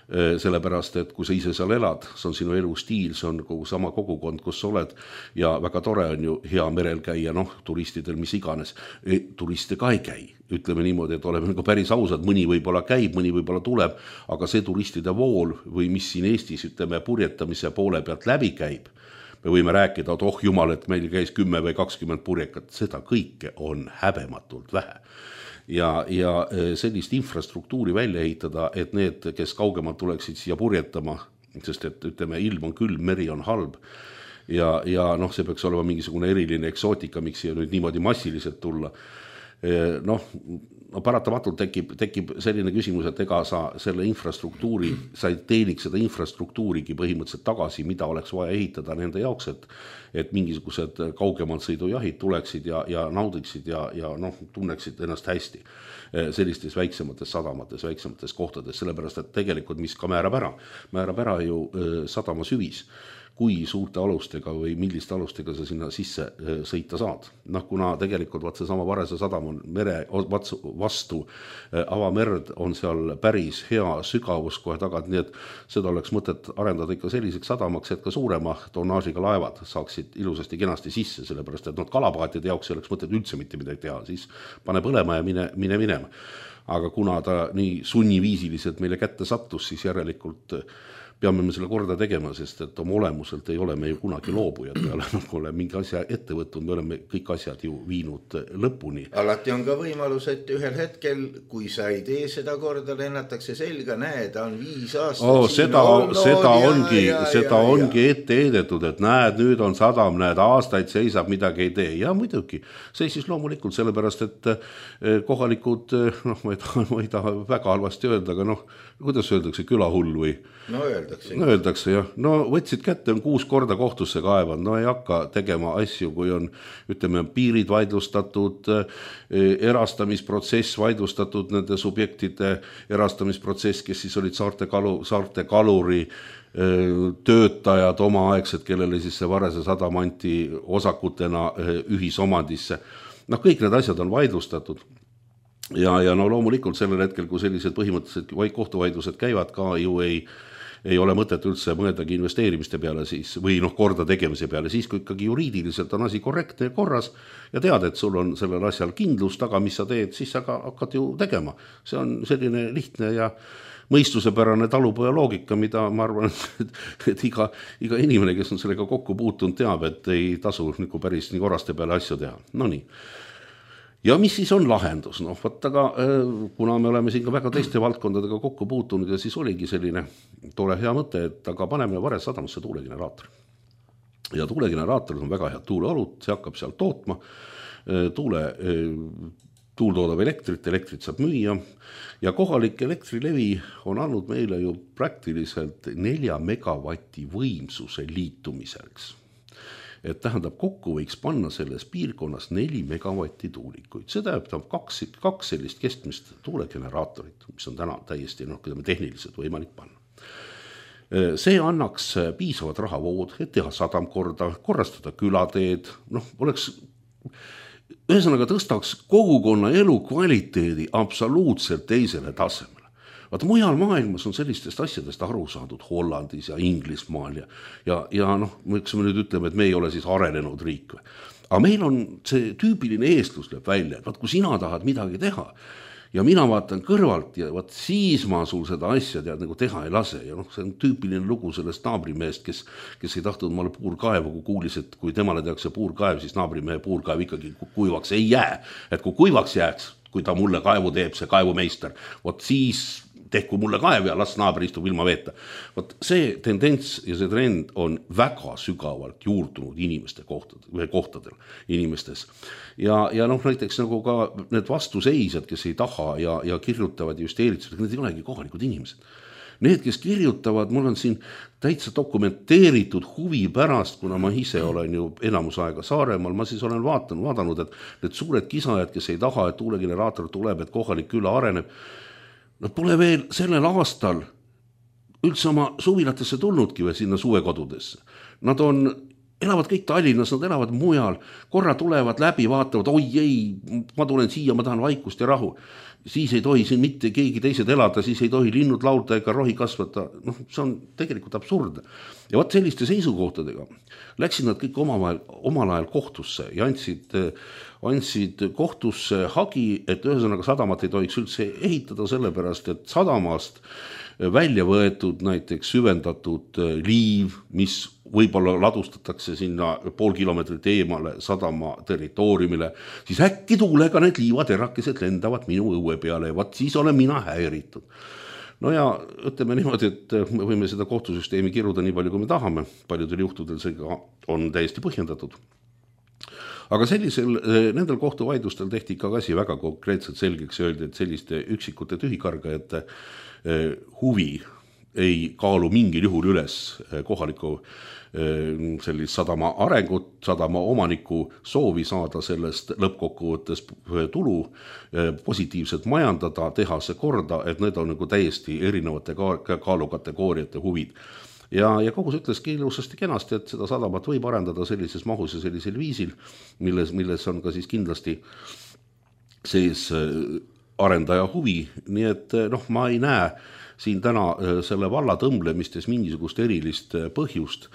Sellepärast, et kui sa ise seal elad, see on sinu elustiil, see on kogu sama kogukond, kus sa oled ja väga tore on ju hea merel käia, noh, turistidel mis iganes. E, turiste ka ei käi. Ütleme niimoodi, et oleme nagu päris ausad, mõni võib-olla käib, mõni võib-olla tuleb, aga see turistide vool või mis siin Eestis, ütleme, purjetamise poole pealt läbi käib, me võime rääkida, et oh jumal, et meil käis kümme või kakskümmend purjekat, seda kõike on häbematult vähe. Ja, ja sellist infrastruktuuri välja ehitada, et need, kes kaugemalt tuleksid siia purjetama, sest et ütleme, ilm on külm, meri on halb ja, ja noh, see peaks olema mingisugune eriline eksootika, miks siia nüüd niimoodi massiliselt tulla. Noh, no paratamatult tekib, tekib selline küsimus, et ega sa selle infrastruktuuri, sa ei teeniks seda infrastruktuurigi põhimõtteliselt tagasi, mida oleks vaja ehitada nende jaoks, et, et mingisugused kaugemalt sõidujahid tuleksid ja, ja naudiksid ja, ja noh, tunneksid ennast hästi sellistes väiksemates sadamates, väiksemates kohtades, sellepärast, et tegelikult mis ka määrab ära, määrab ära ju sadama süvis, kui suurte alustega või milliste alustega sa sinna sisse sõita saad. Noh, kuna tegelikult vaat see sama Varese sadam on mere vastu avamerd, on seal päris hea sügavus kohe tagant, nii et seda oleks mõtet arendada ikka selliseks sadamaks, et ka suurema tonnaažiga laevad saaksid ilusasti kenasti sisse, sellepärast et noh, kalapaatide jaoks oleks mõtet üldse mitte midagi teha, siis pane põlema ja mine, mine minema. Aga kuna ta nii sunniviisiliselt meile kätte sattus, siis järelikult peame me selle korda tegema, sest et oma olemuselt ei ole me ju kunagi loobujad peale, nagu oleme mingi asja ette võtnud, me oleme kõik asjad ju viinud lõpuni. Alati on ka võimalus, et ühel hetkel, kui sa ei tee seda korda, lennatakse selga, näe, ta on viis aastat oh, seda, seda ja, ongi, ja, seda ja, ongi ja. ette heidetud, et näed, nüüd on sadam, näed, aastaid seisab, midagi ei tee. Ja muidugi, seisis loomulikult sellepärast, et kohalikud, noh, ma ei taha, ma ei taha väga halvasti öelda, aga noh, kuidas öeldakse, külahull või? No öeldakse. No öeldakse, jah. No võtsid kätte, on kuus korda kohtusse kaevad, no ei hakka tegema asju, kui on, ütleme, piirid vaidlustatud, erastamisprotsess vaidlustatud, nende subjektide erastamisprotsess, kes siis olid saarte, kalu, saarte kaluri töötajad omaaegsed, kellele siis see Varese sadam anti osakutena ühisomandisse. Noh, kõik need asjad on vaidlustatud. Ja, ja no loomulikult sellel hetkel, kui sellised põhimõtteliselt kohtuvaidlused käivad ka ju ei, ei ole mõtet üldse mõeldagi investeerimiste peale siis, või noh, korda tegemise peale, siis kui ikkagi juriidiliselt on asi korrektne ja korras ja tead, et sul on sellel asjal kindlus taga, mis sa teed, siis sa ka hakkad ju tegema. See on selline lihtne ja mõistusepärane talupoja loogika, mida ma arvan, et, et iga, iga inimene, kes on sellega kokku puutunud, teab, et ei tasu nagu päris nii korraste peale asju teha. No nii. Ja mis siis on lahendus? No, võt, aga kuna me oleme siin ka väga teiste valdkondadega kokku puutunud ja siis oligi selline tore hea mõte, et aga paneme Varese sadamasse tuulegeneraatori. Ja tuulegeneraatorid on väga head tuuleolud, see hakkab seal tootma, tuule, tuul toodab elektrit, elektrit saab müüa ja kohalik elektrilevi on andnud meile ju praktiliselt nelja megavati võimsuse liitumiseks. Et tähendab, kokku võiks panna selles piirkonnas neli megavatti tuulikuid. See tähendab kaks, kaks sellist keskmist tuulegeneraatorit, mis on täna täiesti noh, tehniliselt võimalik panna. See annaks piisavad rahavood, et teha sadam korda, korrastada külateed, noh, oleks, ühesõnaga tõstaks kogukonna elu kvaliteedi absoluutselt teisele tasemele. Vaata, mujal maailmas on sellistest asjadest aru saadud Hollandis ja Inglismaal ja, ja, ja noh, miks me nüüd ütleme, et me ei ole siis arenenud riik. Aga meil on see tüüpiline eestlus lööb välja, et vaat, kui sina tahad midagi teha ja mina vaatan kõrvalt ja vaat siis ma sul seda asja tead nagu teha ei lase. Ja noh, see on tüüpiline lugu sellest naabrimehest, kes, kes ei tahtnud maale puurkaevu, kui kuulis, et kui temale tehakse puurkaev, siis naabrimehe puurkaev ikkagi kuivaks ei jää. Et kui kuivaks jääks, kui ta mulle kaevu teeb, see kaevumeister, vot siis tehku mulle kaev ja las naabri istub ilma veeta. Vot see tendents ja see trend on väga sügavalt juurdunud inimeste kohtadel, kohtadel inimestes. Ja, ja noh, näiteks nagu ka need vastuseisjad, kes ei taha ja, ja kirjutavad just eelitsused, need ei olegi kohalikud inimesed. Need, kes kirjutavad, mul on siin täitsa dokumenteeritud huvi pärast, kuna ma ise olen ju enamus aega Saaremaal, ma siis olen vaatanud, vaadanud, et need suured kisajad, kes ei taha, et tuulegeneraator tuleb, et kohalik küla areneb, nad pole veel sellel aastal üldse oma suvilatesse tulnudki või sinna suvekodudesse. Nad on, elavad kõik Tallinnas, nad elavad mujal, korra tulevad läbi, vaatavad, oi ei, ma tulen siia, ma tahan vaikust ja rahu. Siis ei tohi siin mitte keegi teised elada, siis ei tohi linnud laulda ega rohi kasvata. Noh, see on tegelikult absurdne. Ja vaat selliste seisukohtadega läksid nad kõik omavahel, omal ajal kohtusse ja andsid, andsid kohtusse hagi, et ühesõnaga sadamat ei tohiks üldse ehitada sellepärast, et sadamast välja võetud näiteks süvendatud liiv, mis võib-olla ladustatakse sinna pool kilomeetrit eemale sadama territooriumile, siis äkki tuulega need liivaterakesed lendavad minu õue peale ja vaat siis olen mina häiritud. No ja ütleme niimoodi, et me võime seda kohtusüsteemi kiruda nii palju, kui me tahame. Paljudel juhtudel see on täiesti põhjendatud. Aga sellisel, nendel kohtuvaidlustel tehti ikka asi väga konkreetselt selgeks öeldi, et selliste üksikute tühikargajate huvi ei kaalu mingil juhul üles kohaliku sellist sadama arengut, sadama omaniku soovi saada sellest lõppkokkuvõttes tulu, positiivselt majandada, teha see korda, et need on nagu täiesti erinevate kaalukategooriate huvid. Ja, ja kogus ütleski ilusasti kenasti, et seda sadamat võib arendada sellises mahus ja sellisel viisil, milles, milles on ka siis kindlasti sees arendaja huvi. Nii et noh, ma ei näe siin täna selle valla tõmblemistes mingisugust erilist põhjust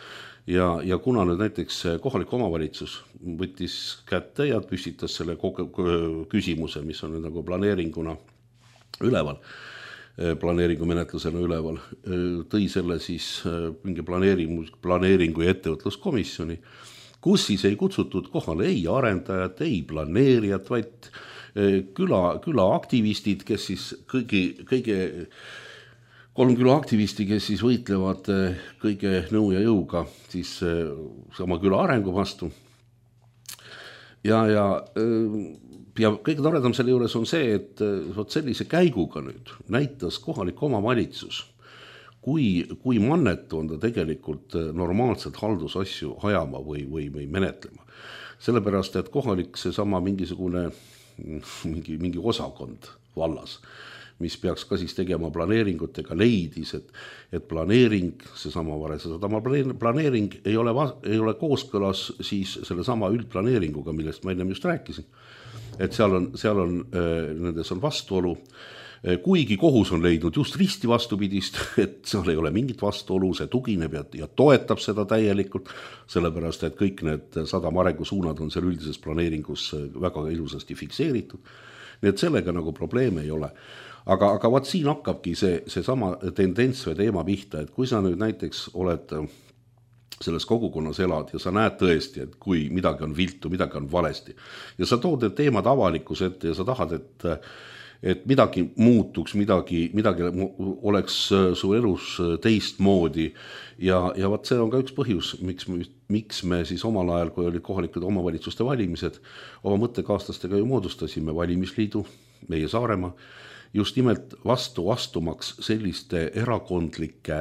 ja, ja kuna nüüd näiteks kohalik omavalitsus võttis kätte ja püstitas selle küsimuse, mis on nüüd nagu planeeringuna üleval, planeeringu menetlusena üleval, tõi selle siis mingi planeeringu, planeeringu ja ettevõtluskomisjoni, kus siis ei kutsutud kohale ei arendajat, ei planeerijat, vaid küla, küla aktivistid, kes siis kõigi, kõige kolm küla aktivisti, kes siis võitlevad kõige nõu ja jõuga siis sama küla arengu vastu. Ja, ja, ja kõige toredam selle juures on see, et võt sellise käiguga nüüd näitas kohalik omavalitsus, kui, kui mannetu on ta tegelikult normaalselt haldusasju ajama või, või, või menetlema. Sellepärast, et kohalik see sama mingisugune mingi, mingi osakond vallas, mis peaks ka siis tegema planeeringutega, leidis, et, et planeering, see sama Varese sadama planeering ei ole, ei ole kooskõlas siis selle sama üldplaneeringuga, millest ma ennem just rääkisin. Et seal on, seal on, nendes on vastuolu, kuigi kohus on leidnud just risti vastupidist, et seal ei ole mingit vastuolu, see tugineb ja, ja toetab seda täielikult, sellepärast, et kõik need sadama arengusuunad on seal üldises planeeringus väga ilusasti fikseeritud. Nii et sellega nagu probleeme ei ole. Aga, aga vaat siin hakkabki see, see sama tendents või teema pihta, et kui sa nüüd näiteks oled selles kogukonnas elad ja sa näed tõesti, et kui midagi on viltu, midagi on valesti ja sa tood need teemad avalikkuse ette ja sa tahad, et, et midagi muutuks, midagi, midagi oleks su elus teistmoodi ja, ja vaat see on ka üks põhjus, miks, miks me siis omal ajal, kui olid kohalikud omavalitsuste valimised, oma mõttekaaslastega ju moodustasime valimisliidu, meie Saaremaa, just nimelt vastu astumaks selliste erakondlike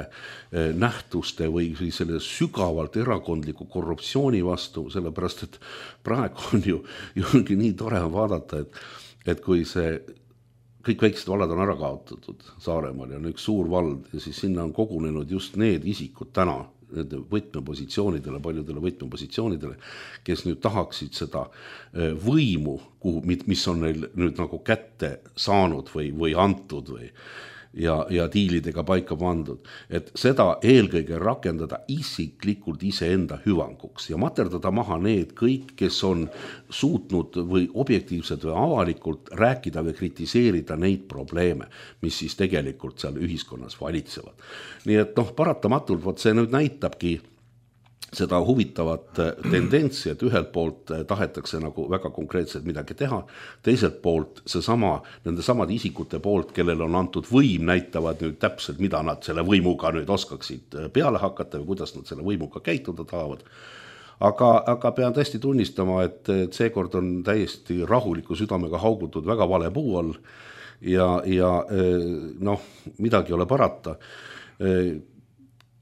nähtuste või selle sügavalt erakondliku korruptsiooni vastu, sellepärast, et praegu on ju, ju nii tore vaadata, et, et kui see kõik väiksed vallad on ära kaotatud Saaremaal ja on üks suur vald ja siis sinna on kogunenud just need isikud täna, nende võtmepositsioonidele, paljudele võtmepositsioonidele, kes nüüd tahaksid seda võimu, kuhu, mis on neil nüüd nagu kätte saanud või, või antud või, ja, ja diilidega paika pandud, et seda eelkõige rakendada isiklikult iseenda hüvanguks ja materdada maha need kõik, kes on suutnud või objektiivselt või avalikult rääkida või kritiseerida neid probleeme, mis siis tegelikult seal ühiskonnas valitsevad. Nii et noh, paratamatult võt see nüüd näitabki seda huvitavat tendentsi, et ühelt poolt tahetakse nagu väga konkreetselt midagi teha, teiselt poolt see sama, nende samad isikute poolt, kellel on antud võim, näitavad nüüd täpselt, mida nad selle võimuga nüüd oskaksid peale hakata või kuidas nad selle võimuga käituda tahavad. Aga, aga pean tõesti tunnistama, et, et seekord on täiesti rahuliku südamega haugutud väga vale puu all ja, ja noh, midagi ei ole parata.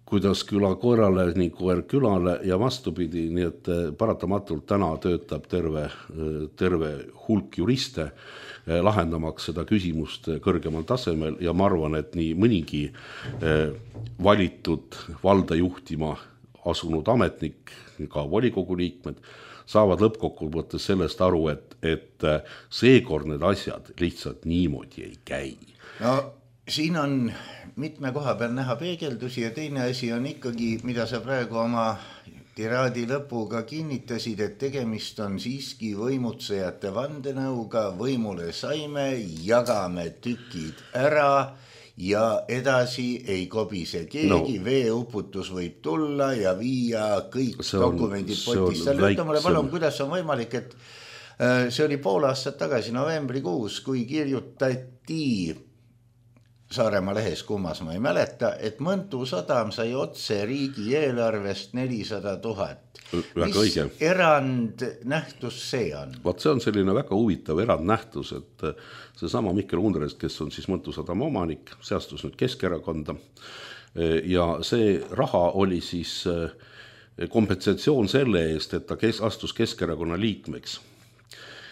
Kuidas küla koerale, nii koer külale ja vastupidi, nii et paratamatult täna töötab terve, terve hulk juriste lahendamaks seda küsimust kõrgemal tasemel ja ma arvan, et nii mõnigi valitud valda juhtima asunud ametnik, ka volikogu liikmed, saavad lõppkokkuvõttes sellest aru, et, et seekord need asjad lihtsalt niimoodi ei käi. No siin on mitme koha peal näha peegeldusi ja teine asi on ikkagi, mida sa praegu oma tiraadi lõpuga kinnitasid, et tegemist on siiski võimutsejate vandenõuga, võimule saime, jagame tükid ära ja edasi ei kobise keegi, no. Veeuputus võib tulla ja viia kõik on, dokumendid potist. Ütle mulle palun, kuidas on võimalik, et see oli pool aastat tagasi novembrikuus, kui kirjutati Saaremaa lehes, kummas ma ei mäleta, et Mõntu sadam sai otse riigi eelarvest nelisada tuhat. Mis õige. Erand nähtus see on? Vaat see on selline väga huvitav erand nähtus, et see sama Mikkel Undrest, kes on siis Mõntu sadama omanik, seastus nüüd Keskerakonda ja see raha oli siis kompensatsioon selle eest, et ta kes, astus Keskerakonna liikmeks.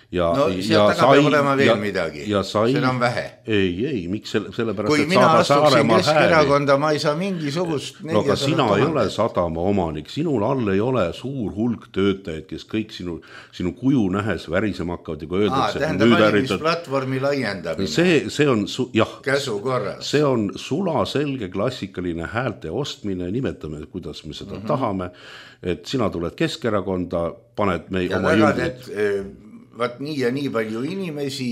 Ja, no seal taga peab olema veel ja, midagi, sai, seda on vähe. Ei, ei, miks selle, sellepärast, kui et mina astuksin Keskerakonda, ma ei saa mingisugust no aga sina ei ole sadama omanik, sinul all ei ole suur hulk töötajaid, kes kõik sinu, sinu kuju nähes värisema hakkavad ja kui öeldakse, tähendab valimisplatvormi laiendamine see, see on, jah, käsu korras. See on sula selge klassikaline häälte ostmine, nimetame, kuidas me seda mm-hmm. tahame, et sina tuled Keskerakonda, paned me ja oma jõudnud vaat nii ja nii palju inimesi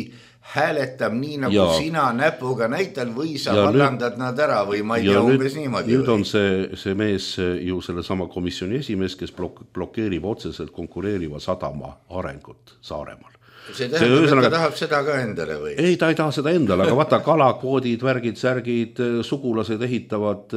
hääletab nii, nagu ja. Sina näpuga näital või sa ja vallandad nüüd, nad ära või ma ei tea umbes niimoodi. Nüüd või? On see, see mees ju selle sama komisjoni esimees, kes blok- blokeerib otseselt konkureeriva sadama arengut Saaremaal. See tähendab, see, et ta tahab seda ka endale või? Ei, ta ei taha seda endale, aga vaata kalakvoodid, värgid, särgid, sugulased ehitavad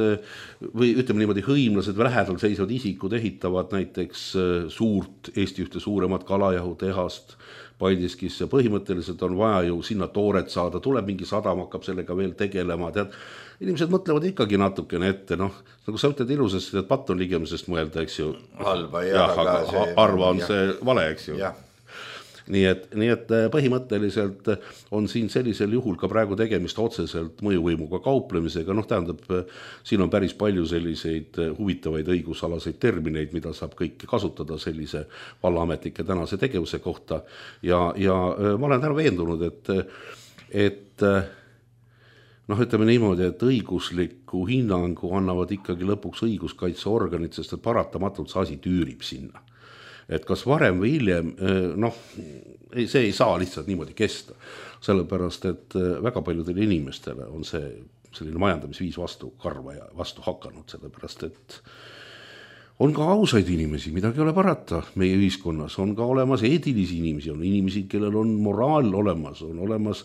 või ütleme niimoodi hõimlased või lähedal seisvad isikud ehitavad näiteks suurt, Eesti ühte suuremat kalajahutehast Paldiskisse. Põhimõtteliselt on vaja ju sinna tooret saada, tuleb mingi sadam, hakkab sellega veel tegelema, tead. Inimesed mõtlevad ikkagi natukene ette, noh, nagu sa ütled ilusasti, et patt on ligemisest mõelda, eks ju. Halba, jah, jah, aga see, harva on jah. See vale, eks ju. Jah. Nii et, nii et põhimõtteliselt on siin sellisel juhul ka praegu tegemist otseselt mõjuvõimuga kauplemisega, noh tähendab, siin on päris palju selliseid huvitavaid õigusalaseid termineid, mida saab kõike kasutada sellise vallaametnike tänase tegevuse kohta ja, ja ma olen täna veendunud, et, et noh, ütleme niimoodi, et õigusliku hinnangu annavad ikkagi lõpuks õiguskaitseorganid, sest et paratamatult see asi tüürib sinna. Et kas varem või hiljem, noh, see ei saa lihtsalt niimoodi kesta, sellepärast, et väga paljudele inimestele on see selline majandamisviis vastu karva ja vastu hakanud, sellepärast, et on ka ausaid inimesi, midagi ei ole parata meie ühiskonnas, on ka olemas eetilisi inimesi, on inimesi, kellel on moraal olemas, on olemas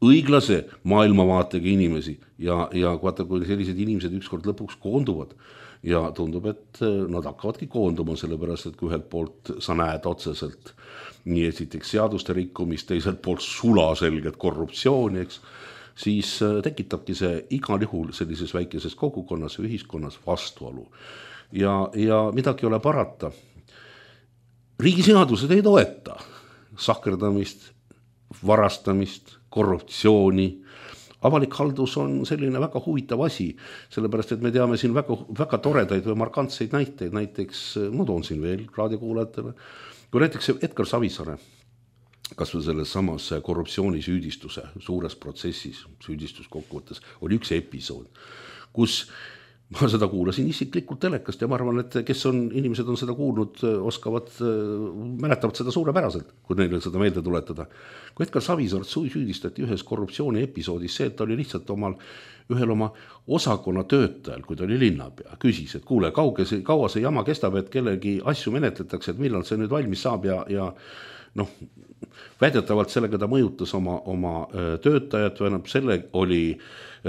õiglase maailmavaatega inimesi ja, ja vaata, kui sellised inimesed ükskord lõpuks koonduvad, ja tundub, et nad hakkavadki koonduma, sellepärast, et kui ühelt poolt sa näed otseselt nii esiteks seaduste rikkumist, teiselt poolt sulaselget korruptsiooni, eks, siis tekitabki see igal juhul sellises väikeses kogukonnas ja ühiskonnas vastuolu. Ja, ja midagi ei ole parata. Riigiseadused ei toeta sahkerdamist, varastamist, korruptsiooni. Avalik haldus on selline väga huvitav asi, sellepärast, et me teame siin väga, väga toredaid või markantseid näiteid, näiteks, ma toon siin veel raadiokuulajatele, kui näiteks Edgar Savisaare, kas või selles samas korruptsioonisüüdistuse suures protsessis, süüdistuskokkuvõttes, oli üks episood, kus ma seda kuulasin isiklikult telekast ja ma arvan, et kes on, inimesed on seda kuulnud, oskavad, mäletavad seda suurepäraselt, kui neile seda meelde tuletada. Kui Edgar Savisaart süüdistati ühes korruptsiooni episoodis see, et ta oli lihtsalt omal, ühel oma osakonna töötajal, kui ta oli linnapea, küsis, et kuule, kauge see, kaua see jama kestab, et kellegi asju menetletakse, et millal see nüüd valmis saab ja, ja noh, väidetavalt sellega ta mõjutas oma, oma töötajat, või selle oli,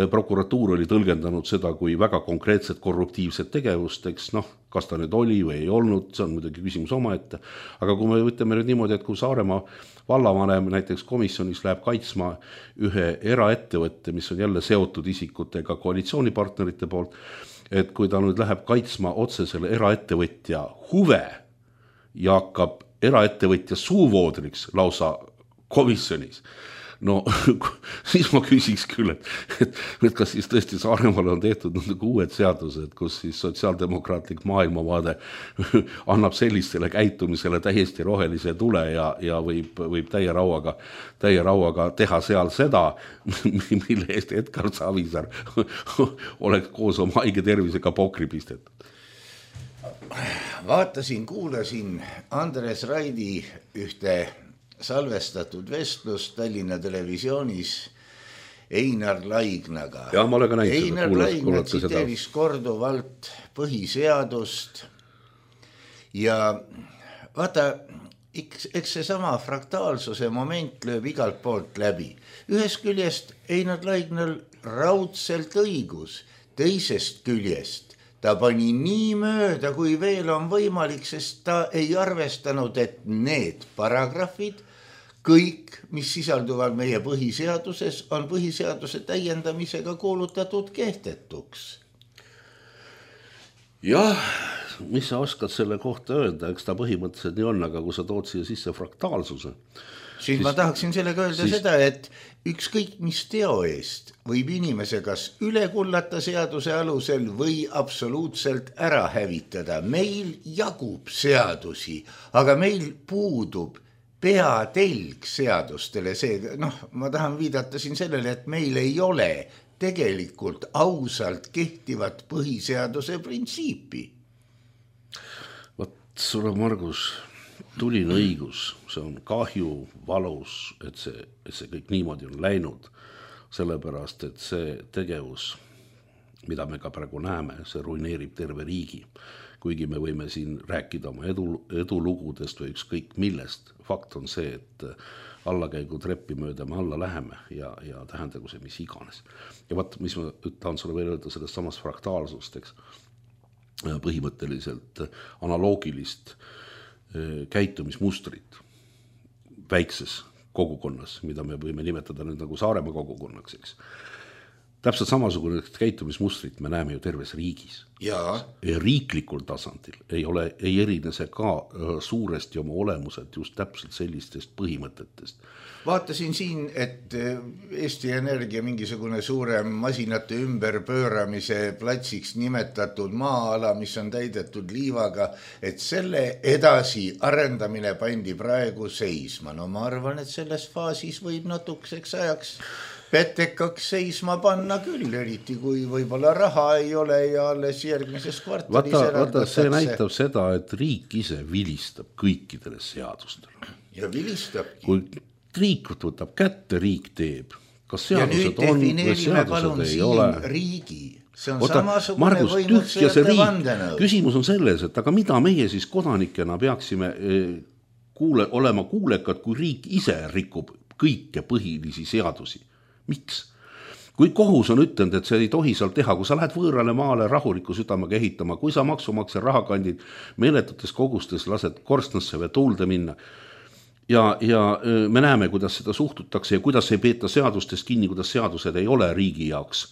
prokuratuur oli tõlgendanud seda kui väga konkreetset korruptiivset tegevust, eks noh, kas ta nüüd oli või ei olnud, see on muidugi küsimus omaette, aga kui me ütleme nüüd niimoodi, et kui Saaremaa vallavanem näiteks komisjonis läheb kaitsma ühe eraettevõtte, mis on jälle seotud isikutega koalitsioonipartnerite poolt, et kui ta nüüd läheb kaitsma otse selle eraettevõtja huve ja hakkab eraettevõtja suuvoodriks lausa komisjonis. No siis ma küsiks küll, et, et, et kas siis tõesti Saaremaal on tehtud nagu uued seadused, kus siis sotsiaaldemokraatlik maailmavaade annab sellistele käitumisele täiesti rohelise tule ja, ja võib, võib täie rauaga, täie rauaga teha seal seda, mille eest Edgar Savisaar oleks koos oma haige tervisega pokri pistetud. Vaatasin, kuulasin Andres Raidi ühte salvestatud vestlust Tallinna televisioonis Einar Laignaga. Ja, ma olen ka näinud. Einar Laigna tsiteeris korduvalt põhiseadust ja vaata, eks, eks see sama fraktaalsuse moment lööb igalt poolt läbi. Ühest küljest Einar Laignal raudselt õigus, teisest küljest ta pani nii mööda, kui veel on võimalik, sest ta ei arvestanud, et need paragrahvid, kõik, mis sisalduvad meie põhiseaduses, on põhiseaduse täiendamisega kuulutatud kehtetuks. Jah, mis sa oskad selle kohta öelda, eks ta põhimõtteliselt nii on, aga kui sa tood siia sisse fraktaalsuse, siis, siis ma tahaksin sellega öelda siis... seda, et ükskõik mis teo eest võib inimese kas üle kullata seaduse alusel või absoluutselt ära hävitada. Meil jagub seadusi, aga meil puudub peatelg seadustele. See, noh, ma tahan viidata siin sellele, et meil ei ole tegelikult ausalt kehtivat põhiseaduse printsiipi. Vot sulle, Margus, tuline õigus, see on kahju, valus, et see, et see kõik niimoodi on läinud, sellepärast, et see tegevus, mida me ka praegu näeme, see ruineerib terve riigi. Kuigi me võime siin rääkida oma edu, edulugudest või ükskõik millest. Fakt on see, et allakäigu treppi mööda me alla läheme ja, ja tähendagu see mis iganes. Ja vaat, mis ma tahan sulle veel öelda sellest samast fraktaalsust, eks, põhimõtteliselt analoogilist käitumismustrit väikses kogukonnas, mida me võime nimetada nüüd nagu Saaremaa kogukonnaks, eks. Täpselt samasugune käitumismustrit me näeme ju terves riigis. Ja. Riiklikul tasandil ei ole, ei erine see ka suuresti oma olemuselt just täpselt sellistest põhimõtetest. Vaatasin siin, et Eesti Energia mingisugune suurem masinate ümberpööramise platsiks nimetatud maa-ala, mis on täidetud liivaga, et selle edasi arendamine pandi praegu seisma. No ma arvan, et selles faasis võib natukeseks ajaks petekaks seisma panna küll, eriti kui võib-olla raha ei ole ja alles järgmises kvartalis vaata, vaata, see näitab seda, et riik ise vilistab kõikidele seadustele. Ja vilistabki. Kui riik võtab kätte, riik teeb. Kas seadused on või seadused ei ole? Riigi. See on Oota, samasugune Margus, võimutsejate vandenõu. Küsimus on selles, et aga mida meie siis kodanikena peaksime kuule, olema kuulekad, kui riik ise rikub kõike põhilisi seadusi? Miks? Kui kohus on ütelnud, et see ei tohi seal teha, kui sa lähed võõrale maale rahuliku südamega ehitama, kui sa maksumaksja rahakandid meeletutes kogustes lased korstnasse või tuulde minna ja, ja me näeme, kuidas seda suhtutakse ja kuidas ei peeta seadustest kinni, kuidas seadused ei ole riigi jaoks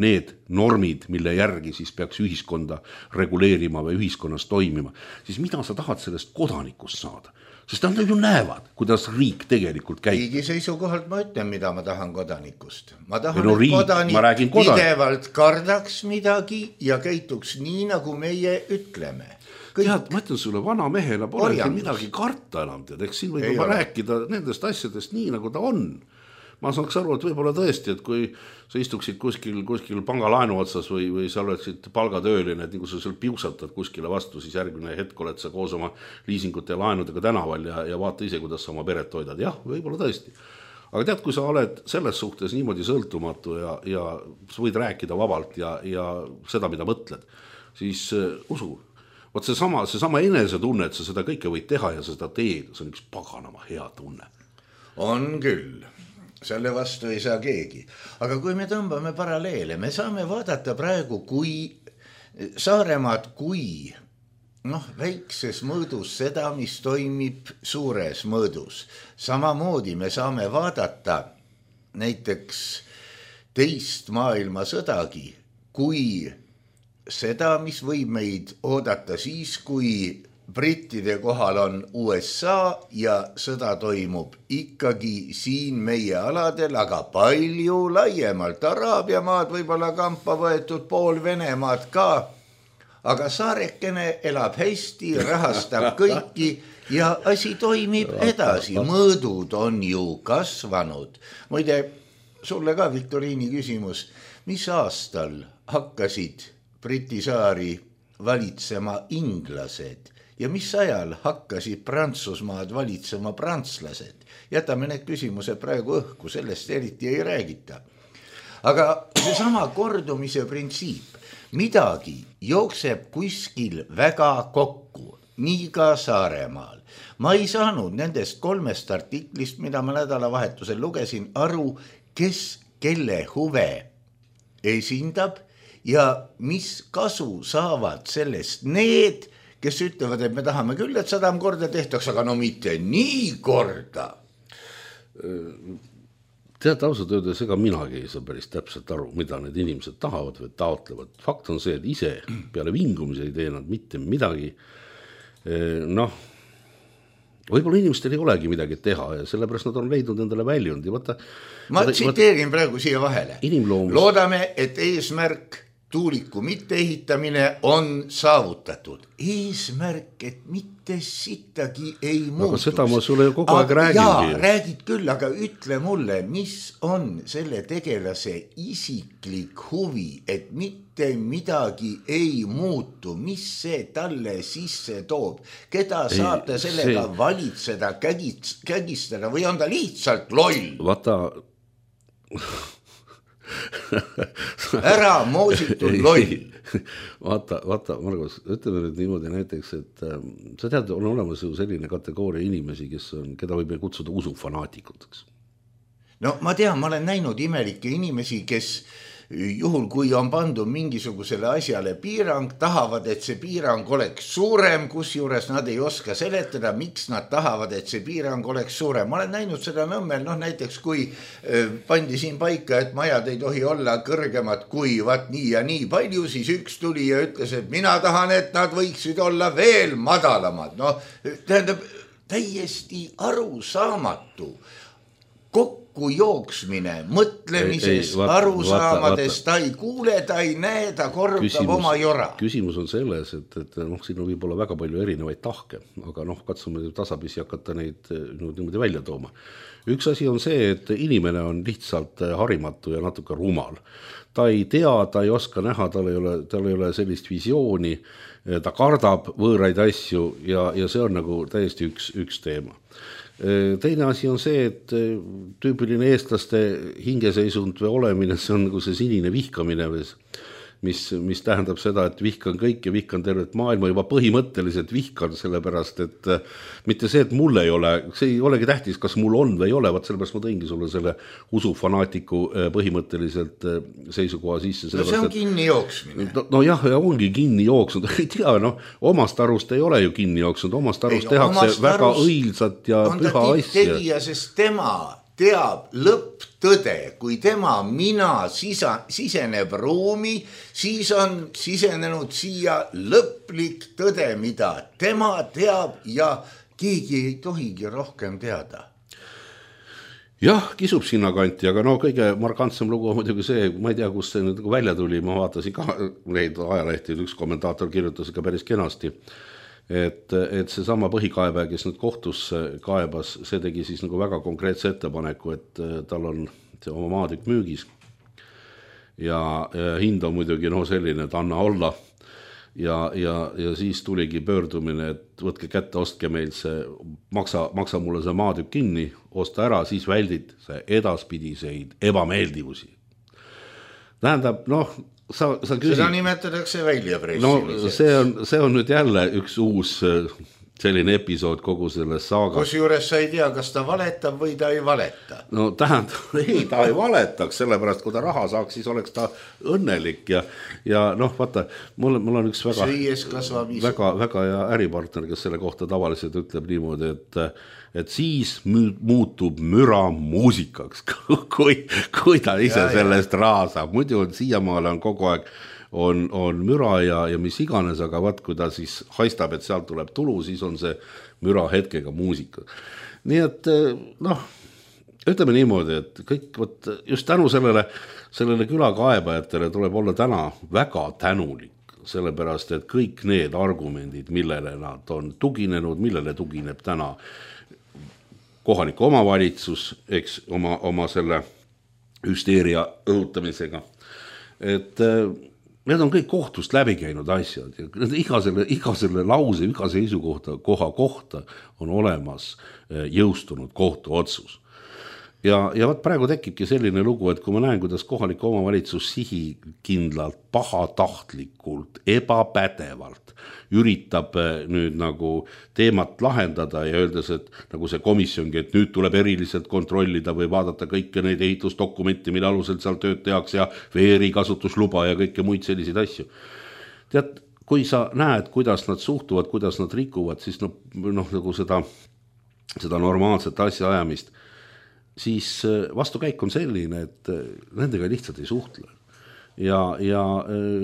need normid, mille järgi siis peaks ühiskonda reguleerima või ühiskonnas toimima, siis mida sa tahad sellest kodanikust saada? Sest nad ju näevad, kuidas riik tegelikult käib. Riigi seisukohalt ma ütlen, mida ma tahan kodanikust. Ma tahan, no, et riik, kodanik pidevalt kardaks midagi ja käituks nii, nagu meie ütleme. Kõik. Tead, ma ütlen sulle, vana mehena pole midagi karta enam, tead, eks siin võib juba rääkida nendest asjadest nii, nagu ta on. Ma saaks aru, et võib-olla tõesti, et kui sa istuksid kuskil, kuskil pangalaenu otsas või, või sa oleksid palgatööline, et nii kui sa seal piusatad kuskile vastu, siis järgmine hetk oled sa koos oma liisingute ja laenudega tänaval ja, ja vaata ise, kuidas sa oma peret hoidad. Jah, võib-olla tõesti. Aga tead, kui sa oled selles suhtes niimoodi sõltumatu ja, ja sa võid rääkida vabalt ja, ja seda, mida mõtled, siis uh, usu, võt see sama, see sama enese tunne, et sa seda kõike võid teha ja sa seda teed, see on üks paganama hea tunne. On küll. Selle vastu ei saa keegi. Aga kui me tõmbame paralleele, me saame vaadata praegu, kui Saaremaad, kui noh, väikses mõõdus seda, mis toimib suures mõõdus. Samamoodi me saame vaadata näiteks teist maailmasõdagi, kui seda, mis võib meid oodata siis, kui brittide kohal on U S A ja sõda toimub ikkagi siin meie aladel, aga palju laiemalt. Araabia maad võib-olla kampa võetud, pool Venemaad ka, aga saarekene elab hästi, rahastab kõiki ja asi toimib edasi. Mõõdud on ju kasvanud. Muide, sulle ka Viktoriini küsimus, mis aastal hakkasid Briti saari valitsema inglased? Ja mis ajal hakkasid Prantsusmaad valitsema prantslased? Jätame need küsimused praegu õhku, sellest eriti ei räägita. Aga see sama kordumise printsiip, midagi jookseb kuskil väga kokku, nii ka Saaremaal. Ma ei saanud nendest kolmest artiklist, mida ma nädalavahetusel lugesin, aru, kes kelle huve esindab ja mis kasu saavad sellest need, kes ütlevad, et me tahame küll, et sadam korda tehtaks, aga no mitte nii korda. Tead, ausalt öeldes, ega minagi ei saa päris täpselt aru, mida need inimesed tahavad või taotlevad. Fakt on see, et ise peale vingumise ei tee nad mitte midagi. Noh, võib-olla inimestel ei olegi midagi teha ja sellepärast nad on leidnud endale väljundi. Vaata, ma tsiteerin praegu siia vahele. Inimloomus. Loodame, et eesmärk tuuliku mitteehitamine on saavutatud. Eesmärk, et mitte sittagi ei muutuks. Aga seda ma sulle kogu aeg räägingi. Jaa, räägid küll, aga ütle mulle, mis on selle tegelase isiklik huvi, et mitte midagi ei muutu, mis see talle sisse toob, keda saab ta sellega see... valitseda, kägistada või on ta lihtsalt loll? Vaata... ära moositud loll. Vaata, vaata, Margus, ütleme nüüd niimoodi näiteks, et äh, sa tead, on olemas ju selline kategooria inimesi, kes on, keda võib kutsuda usufanaatikuks. No ma tean, ma olen näinud imelikke inimesi, kes juhul, kui on pandud mingisugusele asjale piirang, tahavad, et see piirang oleks suurem, kus juures nad ei oska seletada, miks nad tahavad, et see piirang oleks suurem. Ma olen näinud seda Nõmmel, noh näiteks kui pandi siin paika, et majad ei tohi olla kõrgemad kui vaat nii ja nii palju, siis üks tuli ja ütles, et mina tahan, et nad võiksid olla veel madalamad. No tähendab, täiesti arusaamatu kokku jooksmine, mõtlemises, ei, ei, vaata, arusaamades, vaata, vaata. Ta ei kuule, ta ei näe, ta kordab küsimus, oma jora. Küsimus on selles, et, et noh, siin on võib-olla väga palju erinevaid tahke, aga noh, katsume tasapisi hakata neid niimoodi välja tooma. Üks asi on see, et inimene on lihtsalt harimatu ja natuke rumal. Ta ei tea, ta ei oska näha, tal ei ole, tal ei ole sellist visiooni, ta kardab võõraid asju ja, ja see on nagu täiesti üks, üks teema. Teine asi on see, et tüüpiline eestlaste hingeseisund või olemine, see on nagu see sinine vihkamine, mis, mis tähendab seda, et vihkan kõik ja vihkan tervet maailma, juba põhimõtteliselt vihkan sellepärast, et mitte see, et mul ei ole, see ei olegi tähtis, kas mul on või ei ole, vaat sellepärast ma tõingi sulle selle usufanaatiku põhimõtteliselt seisukoha sisse. No see on kinni jooksmine. No, no jah, ja ongi kinni jooksnud, ei tea, no omast arust ei ole ju kinni jooksnud, omast arust ei, tehakse omast väga arust õilsat ja püha asja. Tegija, sest tema teab lõpptõde, kui tema mina sisa, siseneb ruumi, siis on sisenenud siia lõplik tõde, mida tema teab ja keegi ei tohigi rohkem teada. Jah, kisub sinna kanti, aga no kõige markantsem lugu on muidugi see, ma ei tea, kus see nüüd välja tuli, ma vaatasin ka neid ajalehti, üks kommentaator kirjutas ka päris kenasti, et, et see sama põhikaebaja, kes nüüd kohtus kaebas, see tegi siis nagu väga konkreetse ettepaneku, et tal on see oma maatükk müügis ja, ja hind on muidugi no selline, et anna olla ja, ja, ja siis tuligi pöördumine, et võtke kätte, ostke meil see, maksa, maksa mulle see maatükk kinni, osta ära, siis väldid see edaspidiseid ebameeldivusi. Tähendab, noh, Sa, sa küsid, seda nimetatakse väljapressimiseks. No see on, see on nüüd jälle üks uus selline episood kogu selles saagas. Kus juures sa ei tea, kas ta valetab või ta ei valeta. No tähendab, ei, ta ei valetaks, sellepärast kui ta raha saaks, siis oleks ta õnnelik ja, ja noh, vaata, mul, mul on üks väga, väga, väga hea äripartner, kes selle kohta tavaliselt ütleb niimoodi, et et siis muutub müra muusikaks, kui, kui ta ise ja, sellest raha saab. Muidu on siiamaale on kogu aeg on, on müra ja, ja mis iganes, aga vaat, kui ta siis haistab, et sealt tuleb tulu, siis on see müra hetkega muusika. Nii et noh, ütleme niimoodi, et kõik, võt, just tänu sellele, sellele külakaebajatele tuleb olla täna väga tänulik, sellepärast, et kõik need argumendid, millele nad on tuginenud, millele tugineb täna kohalik omavalitsus, eks oma, oma selle hüsteeria õhutamisega. Et need on kõik kohtust läbi käinud asjad ja iga selle, iga selle lause, iga seisukohta, koha kohta on olemas jõustunud kohtu otsus. Ja, ja vaat praegu tekibki selline lugu, et kui ma näen, kuidas kohalik omavalitsus sihikindlalt, pahatahtlikult, ebapädevalt üritab nüüd nagu teemat lahendada ja öeldes, et nagu see komisjongi, et nüüd tuleb eriliselt kontrollida või vaadata kõike neid ehitusdokumenti, mille alusel seal tööd tehakse ja veeri kasutusluba ja kõike muid selliseid asju. Tead, kui sa näed, kuidas nad suhtuvad, kuidas nad rikuvad, siis noh, noh nagu seda, seda normaalset asja ajamist, siis vastukäik on selline, et nendega lihtsalt ei suhtle. Ja, ja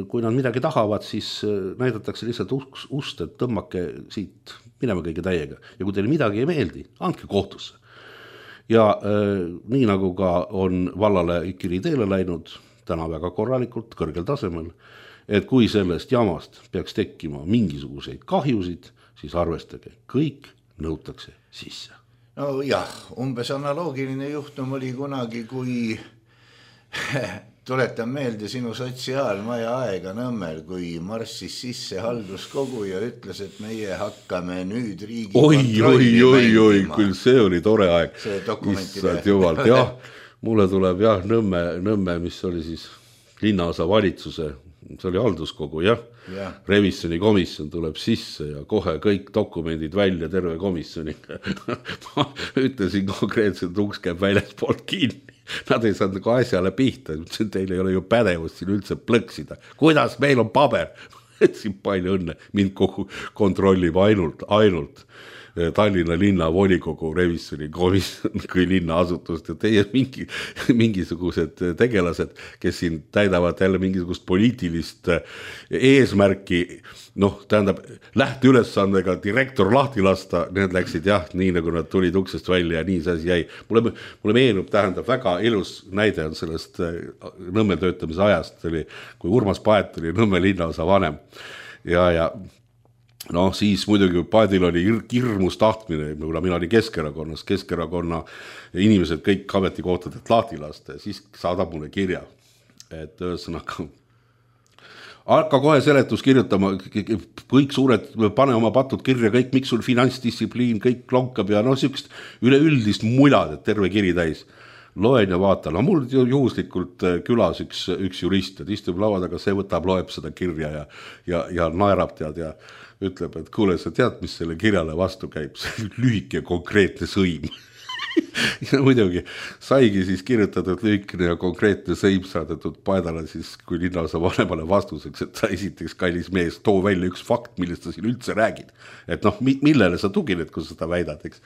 kui nad midagi tahavad, siis näidatakse lihtsalt ust, et tõmmake siit minema kõige täiega. Ja kui teile midagi ei meeldi, andke kohtusse. Ja nii nagu ka on vallale Ikiri teele läinud, täna väga korralikult, kõrgel tasemel, et kui sellest jamast peaks tekkima mingisuguseid kahjusid, siis arvestage, kõik nõutakse sisse. No jah, umbes analoogiline juhtum oli kunagi, kui tuletan meelde sinu sotsiaalmaja aega Nõmmel, kui marssis sisse halduskogu ja ütles, et meie hakkame nüüd riigi oi, oi, oi, oi, küll see oli tore aeg. See dokumentide. Jumalt, jah, mulle tuleb jah, Nõmme, Nõmme, mis oli siis linnaosa valitsuse, see oli halduskogu, jah. Ja. Revisjoni komisjon tuleb sisse ja kohe kõik dokumendid välja terve komisjoni. Ma ütlesin konkreetselt, uks käib väljaspoolt kinni. Nad ei saanud nagu asjale pihta. Teil ei ole ju pädevust siin üldse plõksida. Kuidas meil on paber? Siin palju õnne. Mind kogu kontrollib ainult, ainult Tallinna linna volikogu revisjoni komisjon kui linna asutust ja teie mingi, mingisugused tegelased, kes siin täidavad jälle mingisugust poliitilist eesmärki, noh, tähendab, lähteülesandega direktor lahti lasta, need läksid jah, nii nagu nad tulid uksest välja ja nii see asi jäi. Mulle, mulle meenub, tähendab, väga ilus näide on sellest Nõmme töötamise ajast, oli, kui Urmas Paet oli Nõmme linnaosa vanem ja, ja noh, siis muidugi Paadil oli hirmus tahtmine, kuna mina olin Keskerakonnas, Keskerakonna inimesed kõik ametikohtadelt lahti lasta ja siis saadab mulle kirja, et ühesõnaga hakka kohe seletus kirjutama, kõik suured, pane oma patud kirja, kõik, miks sul finantsdistsipliin, kõik lonkab ja noh, sükst üleüldist mulad, et terve kiri täis. Loen ja vaatan, no mul juhuslikult külas üks, üks jurist, et istub laua taga, see võtab, loeb seda kirja ja, ja, ja naerab tead ja ütleb, et kuule, sa tead, mis selle kirjale vastu käib, see lühike konkreetne sõim. Ja muidugi saigi siis kirjutatud lühikene ja konkreetne sõim saadetud Paedale siis, kui linnaosa vanemale vastuseks, et sa esiteks kallis mees, too välja üks fakt, millest sa siin üldse räägid. Et noh, millele sa tugined, kui sa seda väidad, eks.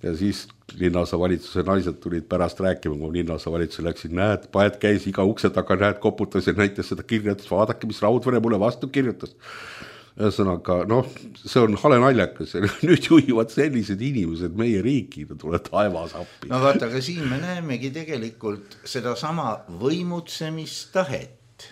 Ja siis linnaosa valitsuse naised tulid pärast rääkima, kui linnaosa valitsuse läksid, näed, Paed käis iga ukse taga, näed, koputas ja näitas seda kirjatas, vaadake, mis Raudvere mulle vastu kirjutas. Ühesõnaga, noh, see on hale naljakas ja nüüd juhivad sellised inimesed meie riiki, tuleb taevas appi. No vaata, aga siin me näemegi tegelikult seda sama võimutsemistahet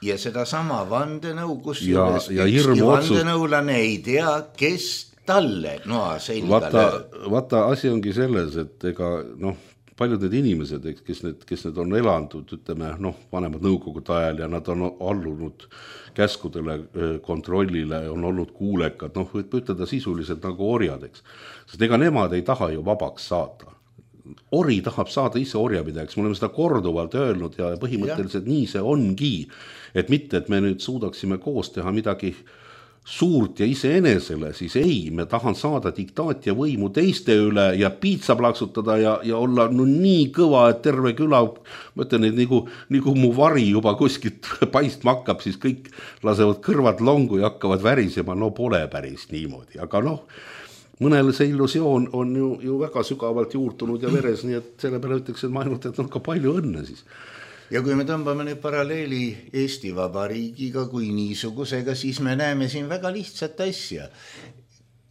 ja seda sama vandenõu, kus ja, ja ükski vandenõulane ei tea, kes talle noa selga vaata, lööb. Vaata, asi ongi selles, et ega noh, paljud need inimesed, kes need, kes need on elandud, ütleme, noh, vanemad nõukogude ajal ja nad on allunud käskudele, kontrollile, on olnud kuulekad, noh, võib ütelda sisuliselt nagu orjadeks. Sest ega nemad ei taha ju vabaks saada. Ori tahab saada ise orjapidajaks, me oleme seda korduvalt öelnud ja põhimõtteliselt ja. Nii see ongi, et mitte, et me nüüd suudaksime koos teha midagi suurt ja iseenesele, siis ei, me tahan saada diktaat ja võimu teiste üle ja piitsa plaksutada ja, ja olla no nii kõva, et terve küla, ma ütlen, et nagu, nagu mu vari juba kuskilt paistma hakkab, siis kõik lasevad kõrvad longu ja hakkavad värisema, no pole päris niimoodi, aga noh, mõnel see illusioon on ju, ju väga sügavalt juurtunud ja veres, nii et selle peale ütleks, et ma ainult, et on ka palju õnne siis. Ja kui me tõmbame nüüd paralleeli Eesti Vabariigiga kui niisugusega, siis me näeme siin väga lihtsat asja.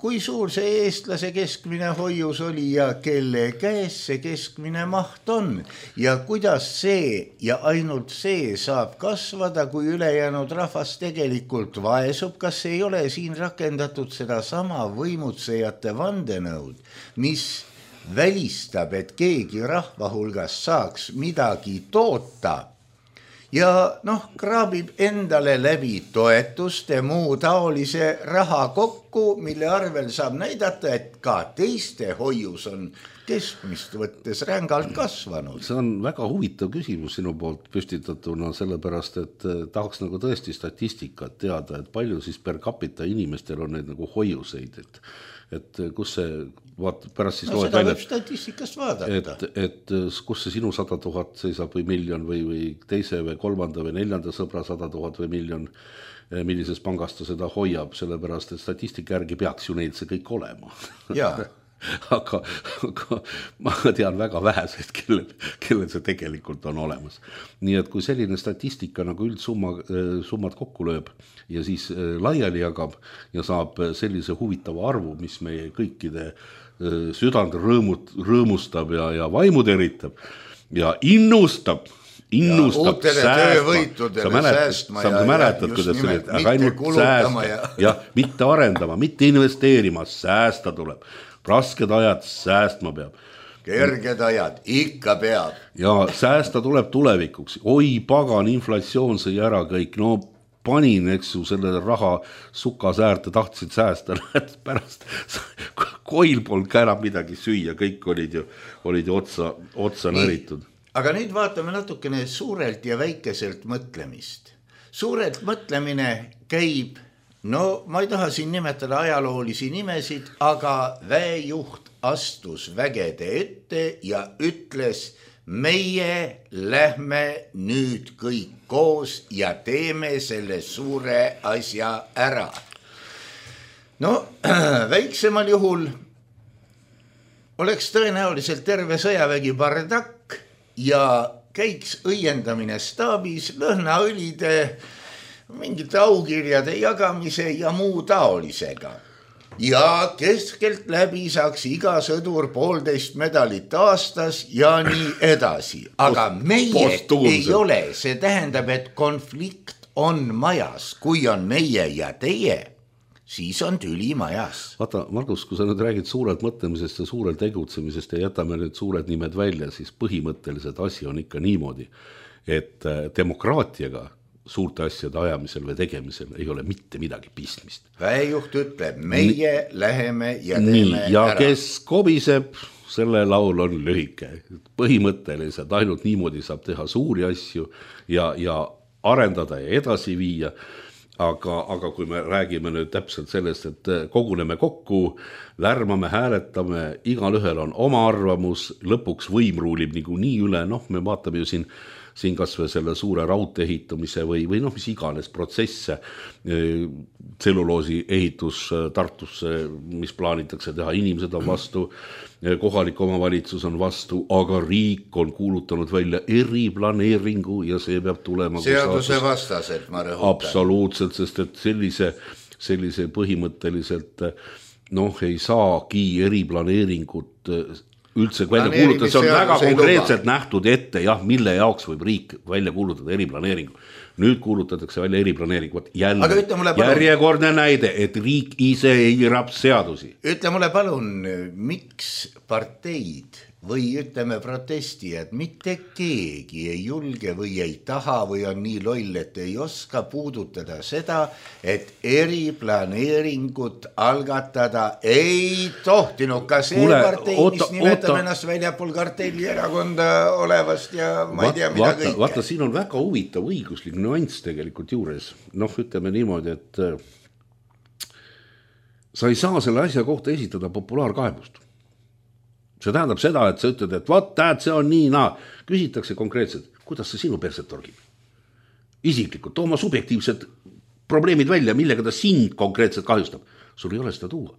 Kui suur see eestlase keskmine hoius oli ja kelle käes see keskmine maht on ja kuidas see ja ainult see saab kasvada, kui ülejäänud rahvas tegelikult vaesub, kas ei ole siin rakendatud seda sama võimutsejate vandenõud, mis välistab, et keegi rahva hulgas saaks midagi toota ja noh, kraabib endale läbi toetuste muu taolise raha kokku, mille arvel saab näidata, et ka teiste hoius on keskmist võttes rängalt kasvanud. See on väga huvitav küsimus sinu poolt püstitatuna, sellepärast, et tahaks nagu tõesti statistikat teada, et palju siis per capita inimestel on neid nagu hoiuseid, et et kus see, vaat, pärast siis no, seda välja, võib statistikast vaadata. Et, et kus see sinu sada tuhat seisab või miljon või, või teise või kolmanda või neljanda sõbra sada tuhat või miljon, millises pangas ta seda hoiab, sellepärast, et statistika järgi peaks ju neid see kõik olema. Jaa. aga, aga ma tean väga väheseid, kellel, kellel see tegelikult on olemas. Nii et kui selline statistika nagu üldsumma, summad kokku lööb ja siis laiali jagab ja saab sellise huvitava arvu, mis meie kõikide südant rõõmut, rõõmustab ja, ja vaimu teritab ja innustab, innustab säästma. Sa mäletad, sa mäletad kuidas see oli, aga ainult säästa ja... ja mitte arendama, mitte investeerima, säästa tuleb. Rasked ajad säästma peab. Kerged ajad, ikka peab. Ja säästa tuleb tulevikuks. Oi pagan, inflatsioon sõi ära kõik, no panin, eks ju, selle raha sukasäärte tahtsid säästa, pärast koil polnud ka enam midagi süüa, kõik olid ju, olid ju otsa, otsa näritud. Aga nüüd vaatame natukene suurelt ja väikeselt mõtlemist. Suurelt mõtlemine käib, no ma ei taha siin nimetada ajaloolisi nimesid, aga väejuht astus vägede ette ja ütles, meie lähme nüüd kõik koos ja teeme selle suure asja ära. No väiksemal juhul oleks tõenäoliselt terve sõjavägi bardakk ja käiks õiendamine staabis, lõhnaõlide, mingite aukirjade jagamise ja muu taolisega. Ja keskelt läbi saaks iga sõdur poolteist medalit aastas ja nii edasi. Aga meie ei ole, see tähendab, et konflikt on majas. Kui on meie ja teie, siis on tüli majas. Vaata, Margus, kui sa nüüd räägid suurelt mõtlemisest ja suurelt tegutsemisest ja jätame nüüd suured nimed välja, siis põhimõtteliselt asi on ikka niimoodi, et demokraatiaga suurte asjade ajamisel või tegemisel ei ole mitte midagi pistmist. Väejuht ütleb, meie N- läheme ja teeme nii, ja ära. Kes kobiseb, selle laul on lühike. Põhimõtteliselt ainult niimoodi saab teha suuri asju ja, ja arendada ja edasi viia. Aga, aga kui me räägime nüüd täpselt sellest, et koguneme kokku, lärmame, hääletame, igal ühel on oma arvamus, lõpuks võim ruulib nagu nii üle, noh, me vaatame ju siin, siin kas või selle suure raudtee ehitamise või, või noh, mis iganes protsesse, tselluloosi ehitus Tartusse, mis plaanitakse teha, inimesed on vastu, kohalik omavalitsus on vastu, aga riik on kuulutanud välja eriplaneeringu ja see peab tulema seaduse vastaselt, ma rõhutan. Absoluutselt, sest et sellise, sellise põhimõtteliselt noh, ei saagi eriplaneeringut üldse välja kuulutada, see on väga konkreetselt nähtud ette, jah, mille jaoks võib riik välja kuulutada eriplaneeringu. Nüüd kuulutatakse välja eriplaneeringut. Jälle, järjekordne näide, et riik ise eirab seadusi. Ütle mulle palun, miks parteid või ütleme protestijad, mitte keegi ei julge või ei taha või on nii loll, et ei oska puudutada seda, et eriplaneeringut algatada ei tohtinud. Ka see Kule, partei, oota, mis nimetab oota. ennast väljapool kartelli erakonda olevast ja ma ei tea mida vaata, kõike. Vaata, siin on väga huvitav õiguslik nüanss tegelikult juures. Noh, ütleme niimoodi, et sa ei saa selle asja kohta esitada populaarkaebust. See tähendab seda, et sa ütled, et vaat, tähed, see on nii, naa. Küsitakse konkreetselt, kuidas see sinu perset torgib? Isiklikult, too oma subjektiivsed probleemid välja, millega ta sind konkreetselt kahjustab. Sul ei ole seda tuua.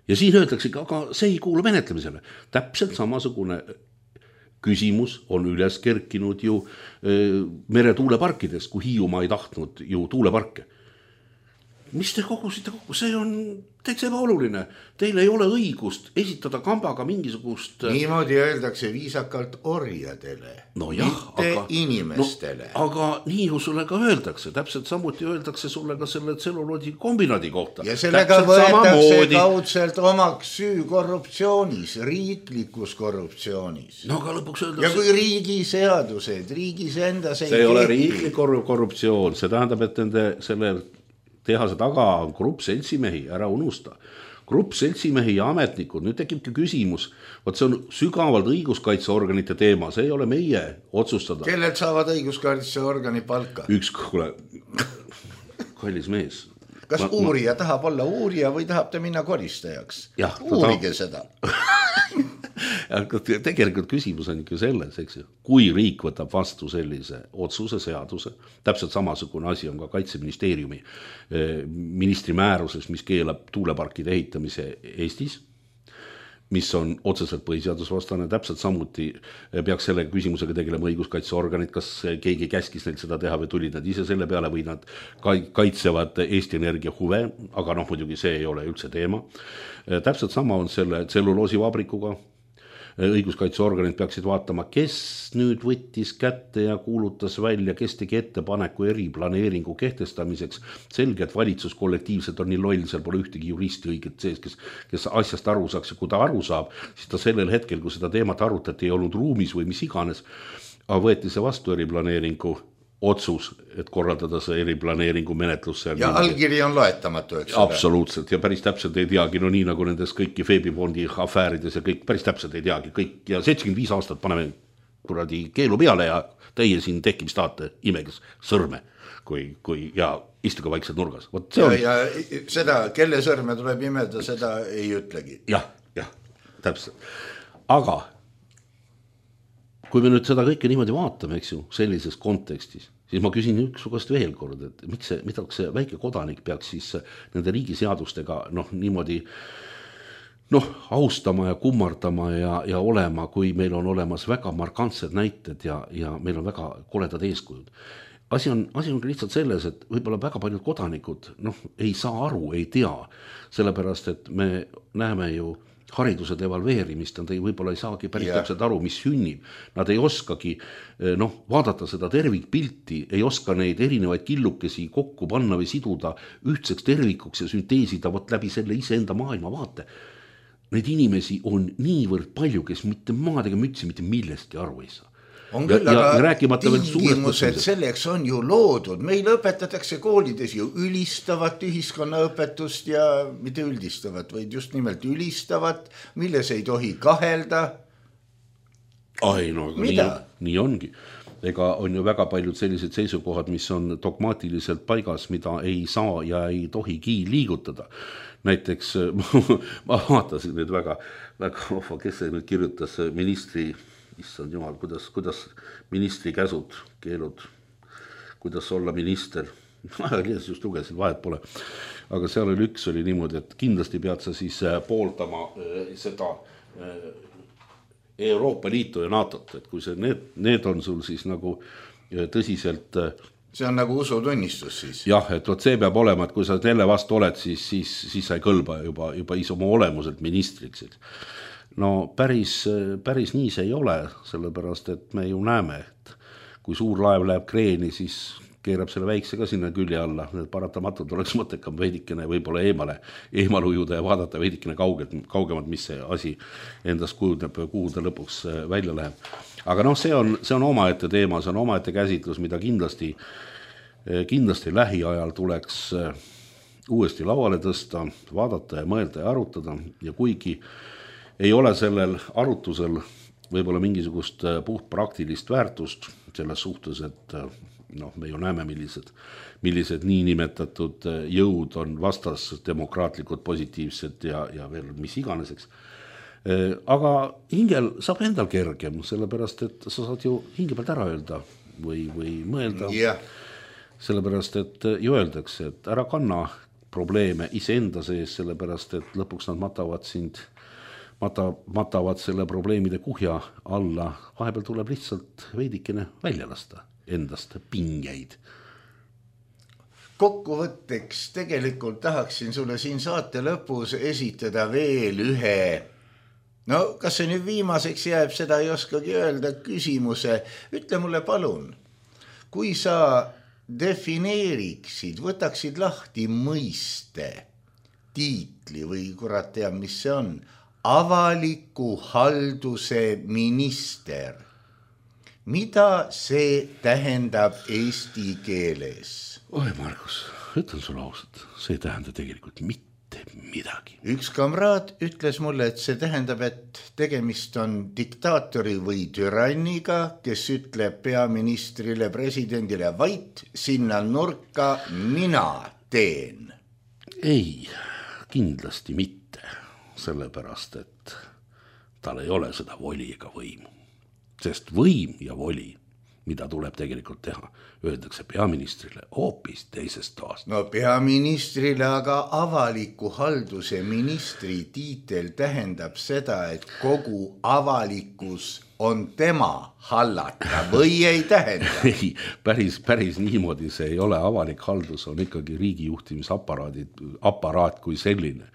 Ja siin öeldakse, aga see ei kuulu menetlemisele. Täpselt samasugune küsimus on üles kerkinud ju meretuuleparkides, kui Hiiumaa ei tahtnud ju tuuleparke. Mis te kogusite kokku? See on täitsa ebaoluline. Teil ei ole õigust esitada kambaga mingisugust... Niimoodi öeldakse viisakalt orjadele, no jah, mitte aga, inimestele. No, aga nii ju sulle ka öeldakse. Täpselt samuti öeldakse sulle ka selle tselluloodi kombinaadi kohta. Ja sellega täpselt võetakse samamoodi... kaudselt omaks süü korruptsioonis, riiklikus korruptsioonis. No aga lõpuks öeldakse... Ja kui riigi seadused, riigis endas ei... See ei ole riiklik korruptsioon. See tähendab, et nende selle... tehase taga on grupp seltsimehi, ära unusta. Grupp seltsimehi ja ametnikud, nüüd tekibki küsimus, võt see on sügavalt õiguskaitseorganite teema, see ei ole meie otsustada. Kellelt saavad õiguskaitseorgani palka? Üks, kuule, kallis mees. Kas ma, uurija ma... tahab olla uurija või tahab ta minna koristajaks? Ja, uurige ta... seda. Tegelikult küsimus on ikka selles, eks ju, kui riik võtab vastu sellise otsuse seaduse, täpselt samasugune asi on ka Kaitseministeeriumi ministri määruses, mis keelab tuuleparkide ehitamise Eestis, mis on otseselt põhiseadusvastane, täpselt samuti peaks selle küsimusega tegelema õiguskaitseorganid, kas keegi käskis neil seda teha või tulid nad ise selle peale või nad kaitsevad Eesti Energia huve, aga noh, muidugi see ei ole üldse teema. Täpselt sama on selle tselluloosivabrikuga. õiguskaitseorganid peaksid vaatama, kes nüüd võttis kätte ja kuulutas välja, kes tegi ettepaneku eriplaneeringu kehtestamiseks. Selge, et valitsus kollektiivselt on nii loll, seal pole ühtegi juristi õiget sees, kes, kes asjast aru saaks ja kui ta aru saab, siis ta sellel hetkel, kui seda teemat arutati, ei olnud ruumis või mis iganes, aga võeti see vastu eriplaneeringu otsus, et korraldada see eriplaneeringu menetlus. Ja niimoodi. Allkiri on loetamatu, eks ole? Absoluutselt, ja päris täpselt ei teagi, no nii nagu nendes kõiki Feebifondi afäärides ja kõik päris täpselt ei teagi, kõik ja seitsekümmend viis aastat paneme kuradi keelu peale ja teie siin tekkimist tahate imeges sõrme, kui, kui ja istuge vaikselt nurgas. Võt, ja, on... ja seda, kelle sõrme tuleb imeda, seda ei ütlegi. Jah, jah, täpselt. Aga kui me nüüd seda kõike niimoodi vaatame, eks ju, sellises kontekstis, siis ma küsin üksugast veel kord, et miks see, mida see väike kodanik peaks siis nende riigiseadustega noh, niimoodi noh, austama ja kummardama ja, ja olema, kui meil on olemas väga markantsed näited ja, ja meil on väga koledad eeskujud. Asi on, asi on lihtsalt selles, et võib-olla väga paljud kodanikud noh, ei saa aru, ei tea, sellepärast, et me näeme ju hariduse devalveerimist, nad ei, võib-olla ei saagi päris yeah. täpselt aru, mis sünnib. Nad ei oskagi noh, vaadata seda tervikpilti, ei oska neid erinevaid killukesi kokku panna või siduda ühtseks tervikuks ja sünteesida võt läbi selle iseenda maailma vaate. Neid inimesi on niivõrd palju, kes mitte maadega mütsi, mitte millestki aru ei saa. On küll, ja, aga tingimused selleks on ju loodud. Meil õpetatakse koolides ju ülistavat ühiskonnaõpetust ja mitte üldistavat, vaid just nimelt ülistavat, milles ei tohi kahelda. Ai, no, nii, nii ongi. Ega on ju väga paljud sellised seisukohad, mis on dogmaatiliselt paigas, mida ei saa ja ei tohigi liigutada. Näiteks ma vaatasin nüüd väga, väga ofa, kes see nüüd kirjutas ministri issand jumal, kuidas, kuidas ministri käsud, keelud, kuidas olla minister. Just lugesin, vahet pole. Aga seal oli üks oli niimoodi, et kindlasti pead sa siis pooldama seda Euroopa Liitu ja NATOt, et kui see, need, need on sul siis nagu tõsiselt... See on nagu usutunnistus siis. Jah, et võt see peab olema, et kui sa selle vastu oled, siis, siis, siis sa ei kõlba juba, juba ise oma olemuselt ministriks. No päris, päris nii see ei ole, sellepärast, et me ju näeme, et kui suur laev läheb kreeni, siis keerab selle väikse ka sinna külje alla. Need paratamatult oleks mõttekam veidikene võib-olla eemale, eemal ujuda ja vaadata veidikene kaugelt, kaugemalt, mis see asi endast kujuneb, kuhu ta lõpuks välja läheb. Aga noh, see on, see on omaette teema, see on omaette käsitlus, mida kindlasti, kindlasti lähiajal tuleks uuesti lauale tõsta, vaadata ja mõelda ja arutada ja kuigi ei ole sellel arutusel võib-olla mingisugust puht praktilist väärtust selles suhtes, et noh, me ju näeme, millised, millised niinimetatud jõud on vastas demokraatlikud, positiivsed ja, ja veel mis iganeseks. Aga hingel saab endal kergem, sellepärast, et sa saad ju hinge pealt ära öelda või, või mõelda. Yeah. Sellepärast, et ju öeldakse, et ära kanna probleeme iseenda sees, sellepärast, et lõpuks nad matavad sind Mata, matavad selle probleemide kuhja alla, vahepeal tuleb lihtsalt veidikene välja lasta endast pingeid. Kokkuvõtteks tegelikult tahaksin sulle siin saate lõpus esitada veel ühe, no kas see nüüd viimaseks jääb, seda ei oskagi öelda, küsimuse. Ütle mulle palun, kui sa defineeriksid, võtaksid lahti mõiste, tiitli või kurat tea, mis see on, avaliku halduse minister. Mida see tähendab eesti keeles? Oi, Margus, ütlen sulle ausalt, see ei tähenda tegelikult mitte midagi. Üks kamraad ütles mulle, et see tähendab, et tegemist on diktaatori või türanniga, kes ütleb peaministrile, presidendile, vait sinna nurka, mina teen. Ei, kindlasti mitte. Sellepärast, et tal ei ole seda voli ega võimu. Sest võim ja voli, mida tuleb tegelikult teha, öeldakse peaministrile hoopis teisest toast. No peaministrile aga avaliku halduse ministri tiitel tähendab seda, et kogu avalikkus on tema hallata või ei tähenda? Ei, päris, päris niimoodi see ei ole. Avalik haldus on ikkagi riigijuhtimisaparaat kui selline.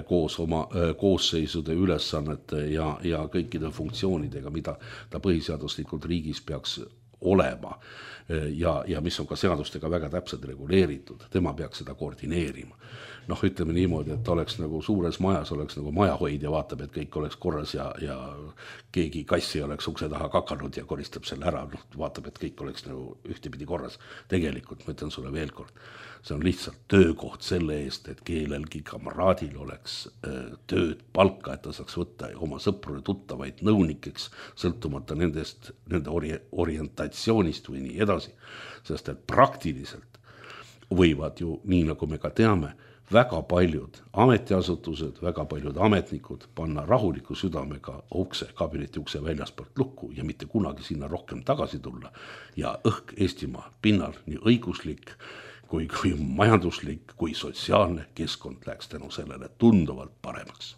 koos oma koosseisude ülesannete ja, ja kõikide funktsioonidega, mida ta põhiseaduslikult riigis peaks olema ja, ja mis on ka seadustega väga täpselt reguleeritud. Tema peaks seda koordineerima. Noh, ütleme niimoodi, et oleks nagu suures majas, oleks nagu majahoidja, vaatab, et kõik oleks korras ja, ja keegi kassi oleks ukse taha kakanud ja koristab selle ära. Noh, vaatab, et kõik oleks nagu ühtepidi korras. Tegelikult, ma ütlen sulle veel kord, see on lihtsalt töökoht selle eest, et keelelgi kamraadil oleks tööd, palka, et ta saaks võtta oma sõpru ja tuttavaid nõunikeks, sõltumata nendest, nende ori- orientatsioonist või nii edasi. Sest et praktiliselt võivad ju, nii nagu me ka teame, väga paljud ametiasutused, väga paljud ametnikud panna rahuliku südamega ukse, kabineti ukse väljaspoolt lukku ja mitte kunagi sinna rohkem tagasi tulla. Ja õhk Eestimaa pinnal nii õiguslik kui, kui majanduslik kui sotsiaalne keskkond läks tänu sellele tunduvalt paremaks.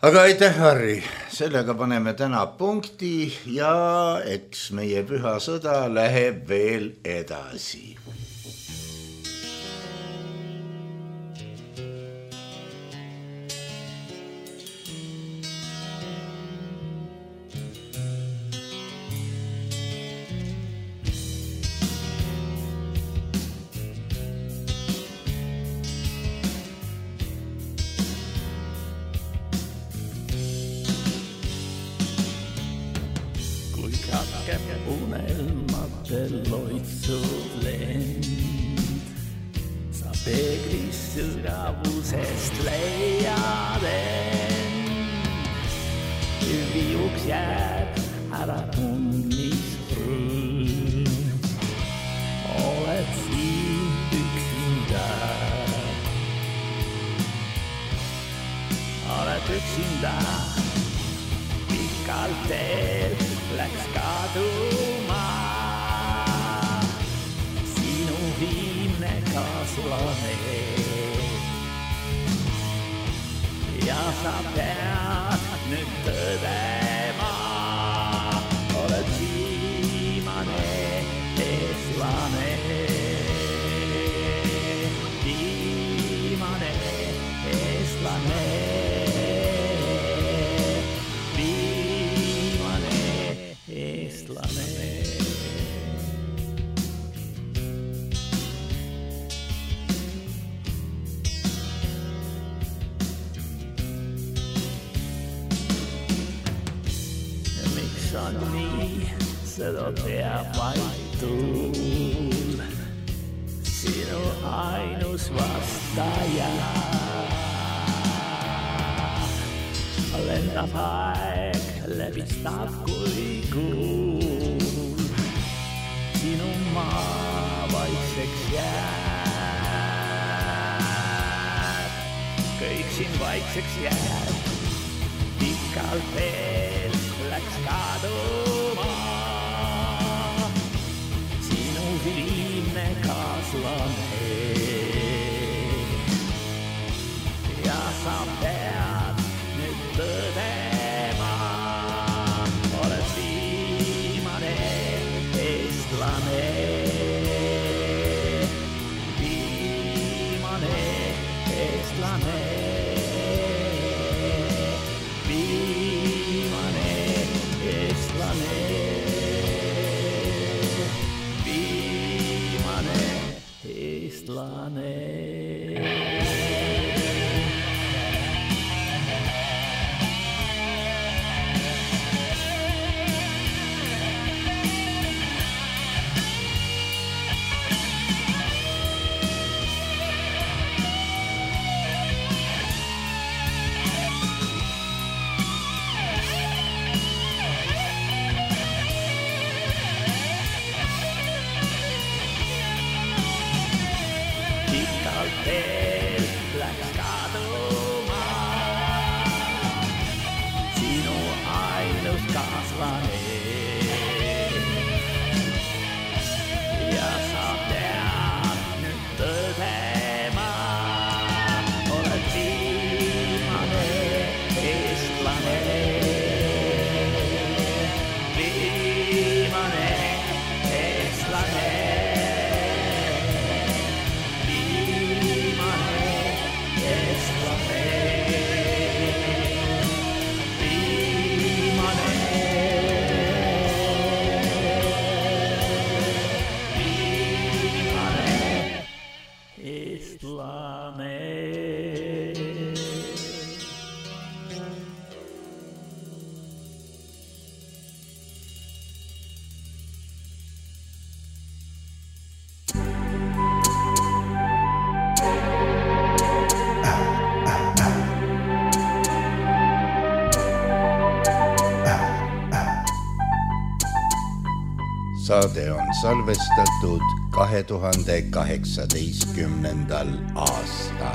Aga aitäh, Harri, sellega paneme täna punkti ja eks meie püha sõda läheb veel edasi. saade on salvestatud kahe tuhande kaheksateistkümnendal aastal.